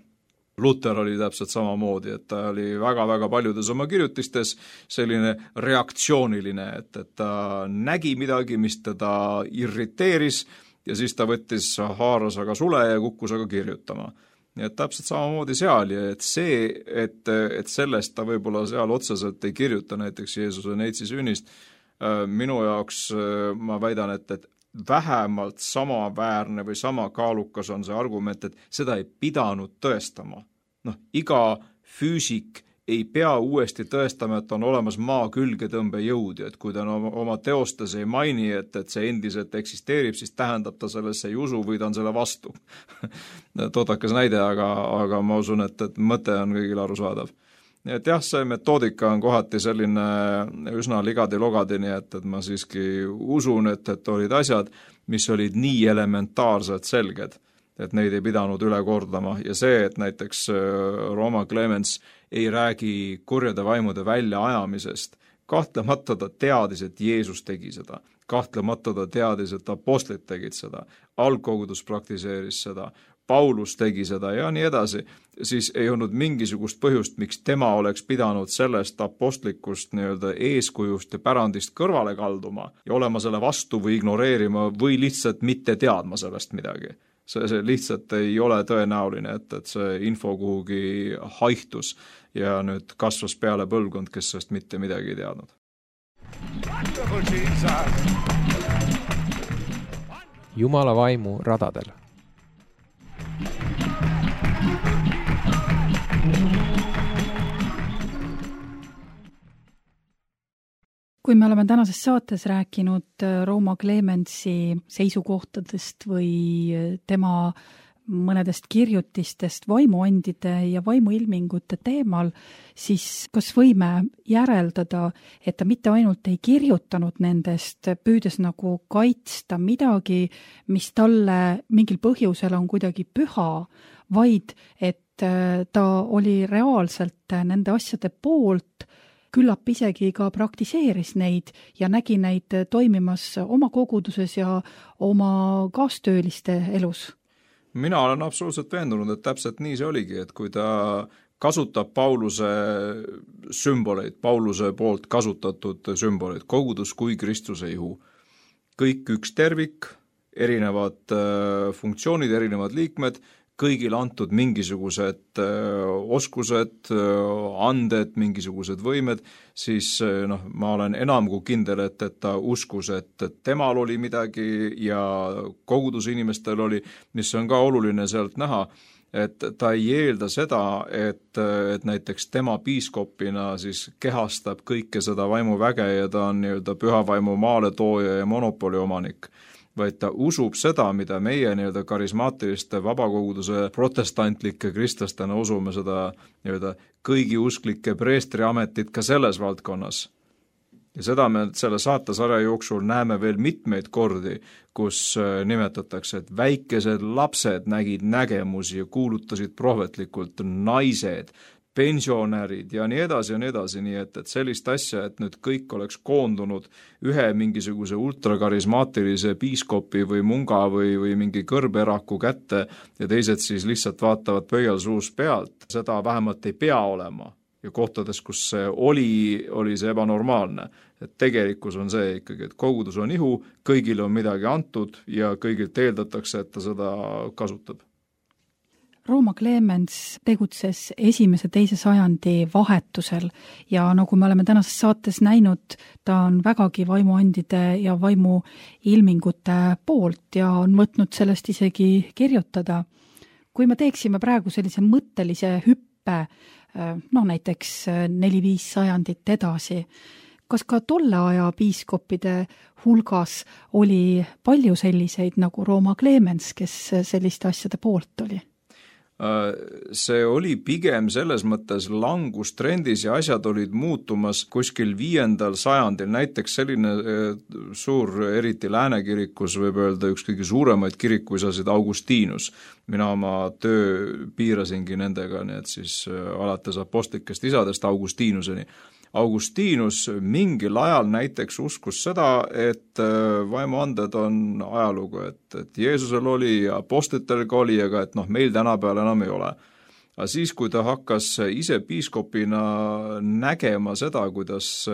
Luther oli täpselt samamoodi, et ta oli väga-väga paljudes oma kirjutistes selline reaktsiooniline, et ta nägi midagi, mis teda irriteeris ja siis ta võttis haaras aga sule ja kukkus aga kirjutama. Nii et täpselt samamoodi seal ja et see, et sellest ta võib-olla seal otseselt ei kirjuta näiteks Jeesuse neitsi sünnist, minu jaoks ma väidan, et vähemalt samaväärne või sama kaalukas on see argument, et seda ei pidanud tõestama. Iga füüsik ei pea uuesti tõestama, et on olemas maa külgetõmbe jõud ja et kui ta oma teostes ei maini, et see endiselt eksisteerib, siis tähendab ta sellesse ei usu või ta on selle vastu. Toodakas näide, aga ma usun, et mõte on kõigil arusaadav. Et jah, see metoodika on kohati selline üsna ligadi-logadini, et ma siiski usun, et olid asjad, mis olid nii elementaarselt selged, et neid ei pidanud üle kordama ja see, et näiteks Rooma Clemens ei räägi kurjade vaimude väljaajamisest, kahtlemata ta teadis, et Jeesus tegi seda, kahtlemata ta teadis, et apostlid tegid seda, algkogudus praktiseeris seda, Paulus tegi seda ja nii edasi, siis ei olnud mingisugust põhjust, miks tema oleks pidanud sellest apostlikust eeskujust ja pärandist kõrvale kalduma ja olema selle vastu või ignoreerima või lihtsalt mitte teadma sellest midagi. See lihtsalt ei ole tõenäoline, et see info kuhugi haihtus ja nüüd kasvas peale põlvkond, kes sellest mitte midagi ei teadnud. Jumala vaimu radadel. Kui me oleme tänases saates rääkinud Rooma Clemensi seisukohtadest või tema mõnedest kirjutistest vaimuandide ja vaimuilmingute teemal, siis kas võime järeldada, et ta mitte ainult ei kirjutanud nendest, püüdes nagu kaitsta midagi, mis talle mingil põhjusel on kuidagi püha, vaid et ta oli reaalselt nende asjade poolt, küllap isegi ka praktiseeris neid ja nägi neid toimimas oma koguduses ja oma kaastööliste elus? Mina olen absoluutselt veendunud, et täpselt nii see oligi, et kui ta kasutab Pauluse sümboleid, Pauluse poolt kasutatud sümboleid, kogudus kui Kristuse ihu, kõik üks tervik, erinevad funktsioonid, erinevad liikmed, kõigil antud mingisugused oskused, anded, mingisugused võimed, siis ma olen enam kui kindel, et ta uskus, et temal oli midagi ja koguduse inimestel oli, mis on ka oluline sealt näha, et ta ei eelda seda, et näiteks tema piiskopina siis kehastab kõike seda vaimuväge ja ta on püha vaimu maaletooja ja monopoli omanik, vaid ta usub seda, mida meie karismaatiliste vabakoguduse protestantlike kristlastena usume seda kõigi usklike preestriametit ka selles valdkonnas. Ja seda me selle saatesarja jooksul näeme veel mitmeid kordi, kus nimetatakse, et väikesed lapsed nägid nägemusi ja kuulutasid prohvetlikult, naised, pensionärid ja nii edasi, nii et sellist asja, et nüüd kõik oleks koondunud ühe mingisuguse ultrakarismaatilise piiskopi või munga või mingi kõrberaku kätte ja teised siis lihtsalt vaatavad pöialsuus pealt, seda vähemalt ei pea olema. Ja kohtades, kus see oli see ebanormaalne. Et tegelikkus on see ikkagi, et kogudus on ihu, kõigile on midagi antud ja kõigilt eeldatakse, et ta seda kasutab. Rooma Clemens tegutses 1.–2. sajandi vahetusel ja nagu me oleme tänases saates näinud, ta on vägagi vaimuandide ja vaimuilmingute poolt ja on võtnud sellest isegi kirjutada. Kui me teeksime praegu sellise mõttelise hüppe, näiteks 4-5 sajandit edasi, kas ka tolle aja piiskoppide hulgas oli palju selliseid nagu Rooma Clemens, kes selliste asjade poolt oli? See oli pigem selles mõttes langustrendis ja asjad olid muutumas kuskil 5. sajandil, näiteks selline suur, eriti läänekirikus võib öelda üks kõige suuremaid kirikuisasid Augustinus. Mina oma töö piirasingi nendega, nii et siis alates apostlikest isadest Augustinuseni. Augustinus mingil ajal näiteks uskus seda, et vaimuanded on ajalugu, et Jeesusel oli ja apostlitelgi oli, aga et meil tänapäeval enam ei ole. Aga siis, kui ta hakkas ise piiskopina nägema seda, kuidas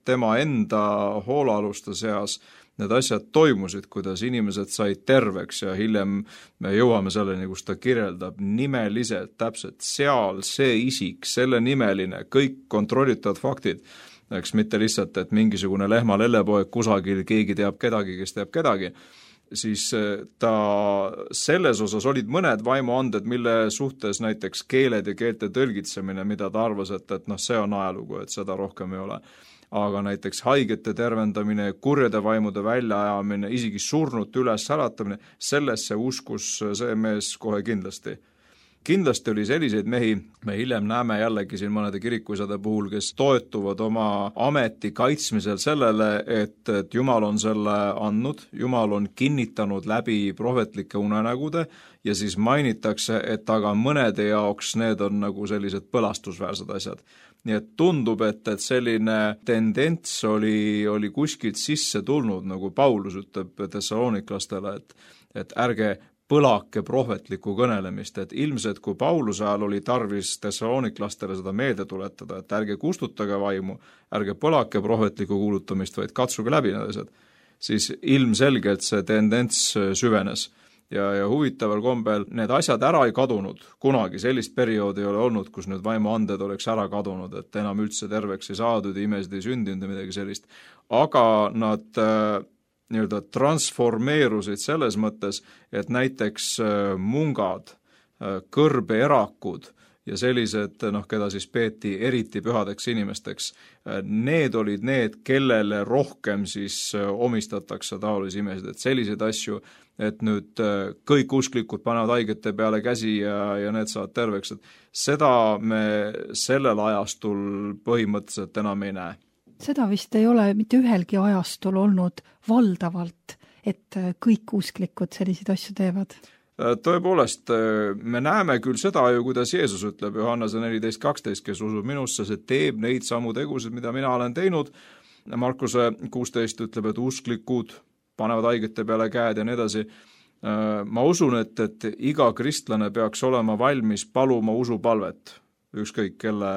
tema enda hoolealuste seas need asjad toimusid, kuidas inimesed said terveks ja hiljem me jõuame selleni, kus ta kirjeldab nimeliselt täpselt seal see isik, selle nimeline, kõik kontrollitavad faktid, eks mitte lihtsalt, et mingisugune lehma lellepoeg kusagil, keegi teab kedagi, kes teab kedagi, siis ta selles osas olid mõned vaimuanded, mille suhtes näiteks keeled ja keelte tõlgitsemine, mida ta arvas, et see on ajalugu, et seda rohkem ei ole. Aga näiteks haigete tervendamine, kurjade vaimude väljaajamine, isegi surnute üles äratamine, sellesse uskus see mees kohe kindlasti. Kindlasti oli selliseid mehi, me hiljem näeme jällegi siin mõnede kirikuisade puhul, kes toetuvad oma ameti kaitsmisel sellele, et Jumal on selle andnud, Jumal on kinnitanud läbi prohvetlike unenägude ja siis mainitakse, et aga mõnede jaoks need on nagu sellised põlastusväärsed asjad. Nii et tundub, et selline tendents oli kuskilt sisse tulnud, nagu Paulus ütleb Thessaloniklastele, et ärge põlake prohvetlikku kõnelemist, et ilmselt kui Pauluse ajal oli tarvis Thessaloniklastele seda meelde tuletada, et ärge kustutage vaimu, ärge põlake prohvetlikku kuulutamist, vaid katsuge läbi need asjad, siis ilmselgelt see tendents süvenes. Ja huvitaval kombel need asjad ära ei kadunud, kunagi sellist perioodi ei ole olnud, kus need vaimuanded oleks ära kadunud, et enam üldse terveks ei saadud, imesid ei sündinud ja midagi sellist. Aga nad nii-öelda transformeerusid selles mõttes, et näiteks mungad, kõrbeerakud ja sellised, keda siis peeti eriti pühadeks inimesteks, need olid need, kellele rohkem siis omistatakse taolisi imesid, et selliseid asju, et nüüd kõik usklikud panevad haigete peale käsi ja need saavad terveks, et seda me sellel ajastul põhimõtteliselt enam ei näe. Seda vist ei ole mitte ühelgi ajastul olnud valdavalt, et kõik usklikud selliseid asju teevad. Tõepoolest, me näeme küll seda ju, kuidas Jeesus ütleb Johannese 14.12, kes usub minusse, see teeb neid samu tegusid, mida mina olen teinud. Markuse 16 ütleb, et usklikud panevad haigete peale käed ja nii edasi. Ma usun, et iga kristlane peaks olema valmis paluma usupalvet, ükskõik kelle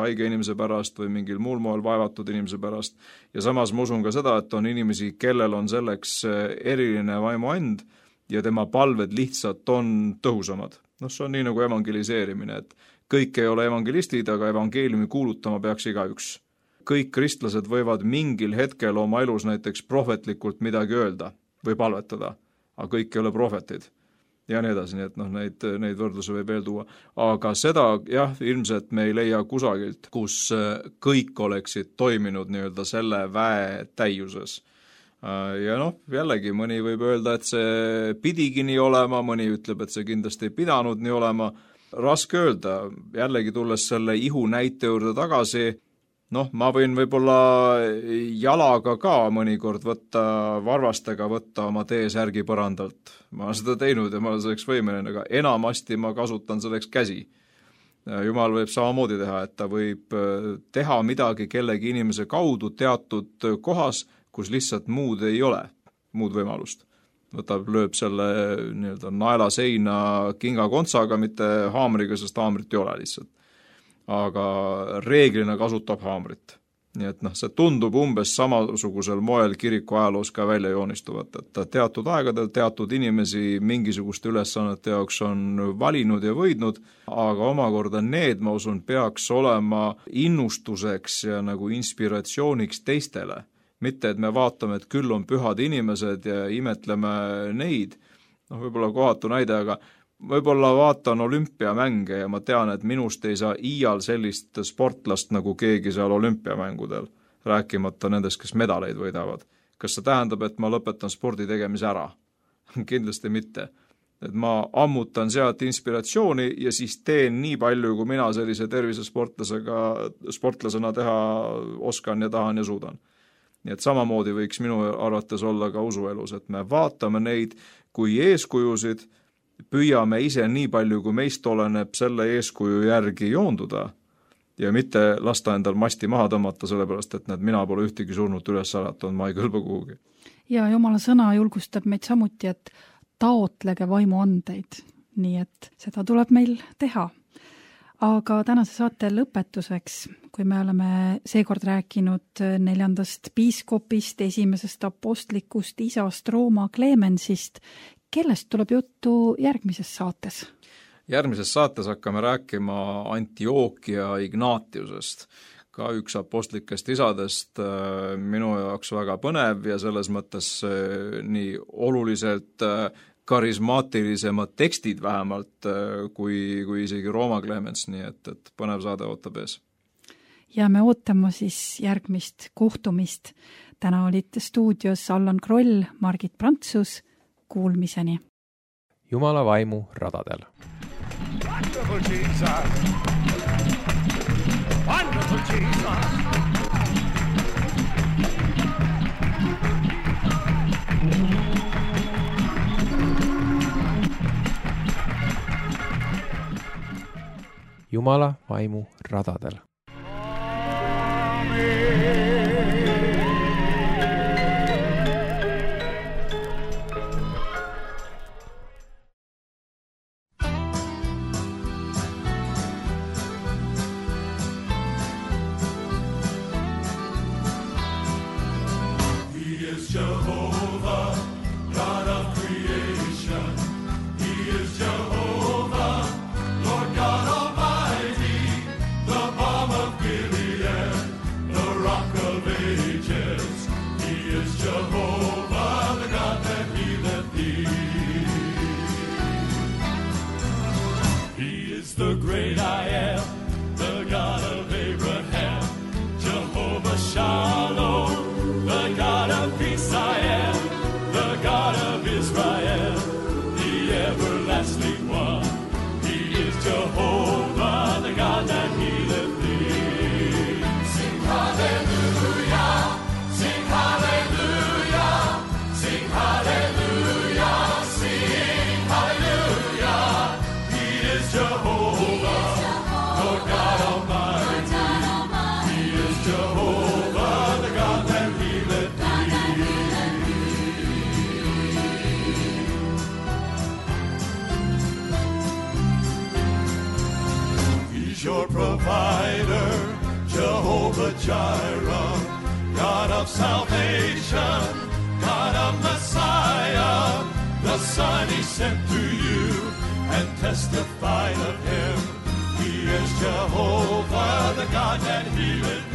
haige inimese pärast või mingil muul moel vaevatud inimese pärast. Ja samas ma usun ka seda, et on inimesi, kellel on selleks eriline vaimuand ja tema palved lihtsalt on tõhusamad. See on nii nagu evangeliseerimine, et kõik ei ole evangelistid, aga evangeeliumi kuulutama peaks igaüks. Kõik kristlased võivad mingil hetkel oma elus näiteks prohvetlikult midagi öelda või palvetada, aga kõik ei ole prohvetid ja nii edasi, nii et neid võrdlusi võib veel tuua. Aga seda ilmselt me ei leia kusagilt, kus kõik oleksid toiminud nii-öelda selle väe täiuses. Ja jällegi mõni võib öelda, et see pidigi nii olema, mõni ütleb, et see kindlasti ei pidanud nii olema. Raske öelda, jällegi tulles selle ihu näite juurde tagasi, Noh, ma võin võib-olla jalaga ka mõnikord varvastega võtta oma T-särgi põrandalt. Ma olen seda teinud ja ma olen selleks võimeline, aga enamasti ma kasutan selleks käsi. Jumal võib samamoodi teha, et ta võib teha midagi kellegi inimese kaudu teatud kohas, kus lihtsalt muud ei ole, muud võimalust. Lööb selle naela seina kingakontsaga, mitte haamriga, sest haamrit ei ole lihtsalt. Aga reeglina kasutab haamrit. Nii et see tundub umbes samasugusel moel kiriku ajaloos ka välja joonistuvat, et teatud aegadel teatud inimesi mingisuguste ülesannete jaoks on valinud ja võidnud, aga omakorda need, ma usun, peaks olema innustuseks ja nagu inspiratsiooniks teistele. Mitte, et me vaatame, et küll on pühad inimesed ja imetleme neid, võib-olla kohatu näide, aga võib-olla vaatan olümpiamänge ja ma tean, et minust ei saa iial sellist sportlast nagu keegi seal olümpiamängudel, rääkimata nendest, kes medaleid võidavad. Kas see tähendab, et ma lõpetan spordi tegemise ära? Kindlasti mitte. Et ma ammutan sealt inspiratsiooni ja siis teen nii palju, kui mina sellise tervisesportlasena teha oskan ja tahan ja suudan. Nii et samamoodi võiks minu arvates olla ka usuelus, et me vaatame neid kui eeskujusid, püüame ise nii palju, kui meist oleneb selle eeskuju järgi joonduda ja mitte lasta endal masti maha tõmmata, sellepärast, et mina pole ühtegi surnut üles äratanud, ma ei kõlba kuhugi. Ja Jumala sõna julgustab meid samuti, et taotlege vaimu andeid, nii et seda tuleb meil teha. Aga tänase saate lõpetuseks, kui me oleme seekord rääkinud 4. piiskopist, 1. apostlikust isast Rooma Clemensist, kellest tuleb juttu järgmises saates? Järgmises saates hakkame rääkima Antiochia Ignatiusest, ka üks apostlikest isadest, minu jaoks väga põnev ja selles mõttes nii oluliselt karismaatilisemad tekstid vähemalt kui isegi Rooma Clemens, nii et põnev saade ootab ees. Ja me ootame siis järgmist kohtumist. Täna olid stuudios Allan Kroll, Margit Prantsus, kuulmiseni. Jumala vaimu radadel. Wonderful Jesus. Wonderful Jesus. Jumala vaimu radadel. The great I am, the God of Abraham, Jehovah Shalom, the God of peace I am, the God of Israel, the everlasting one. He is Jehovah, the God that healeth thee. Sing hallelujah, sing hallelujah, sing hallelujah, sing hallelujah. He is Jehovah. Your provider, Jehovah Jireh, God of salvation, God of Messiah, the Son he sent to you and testified of him. He is Jehovah, the God that healeth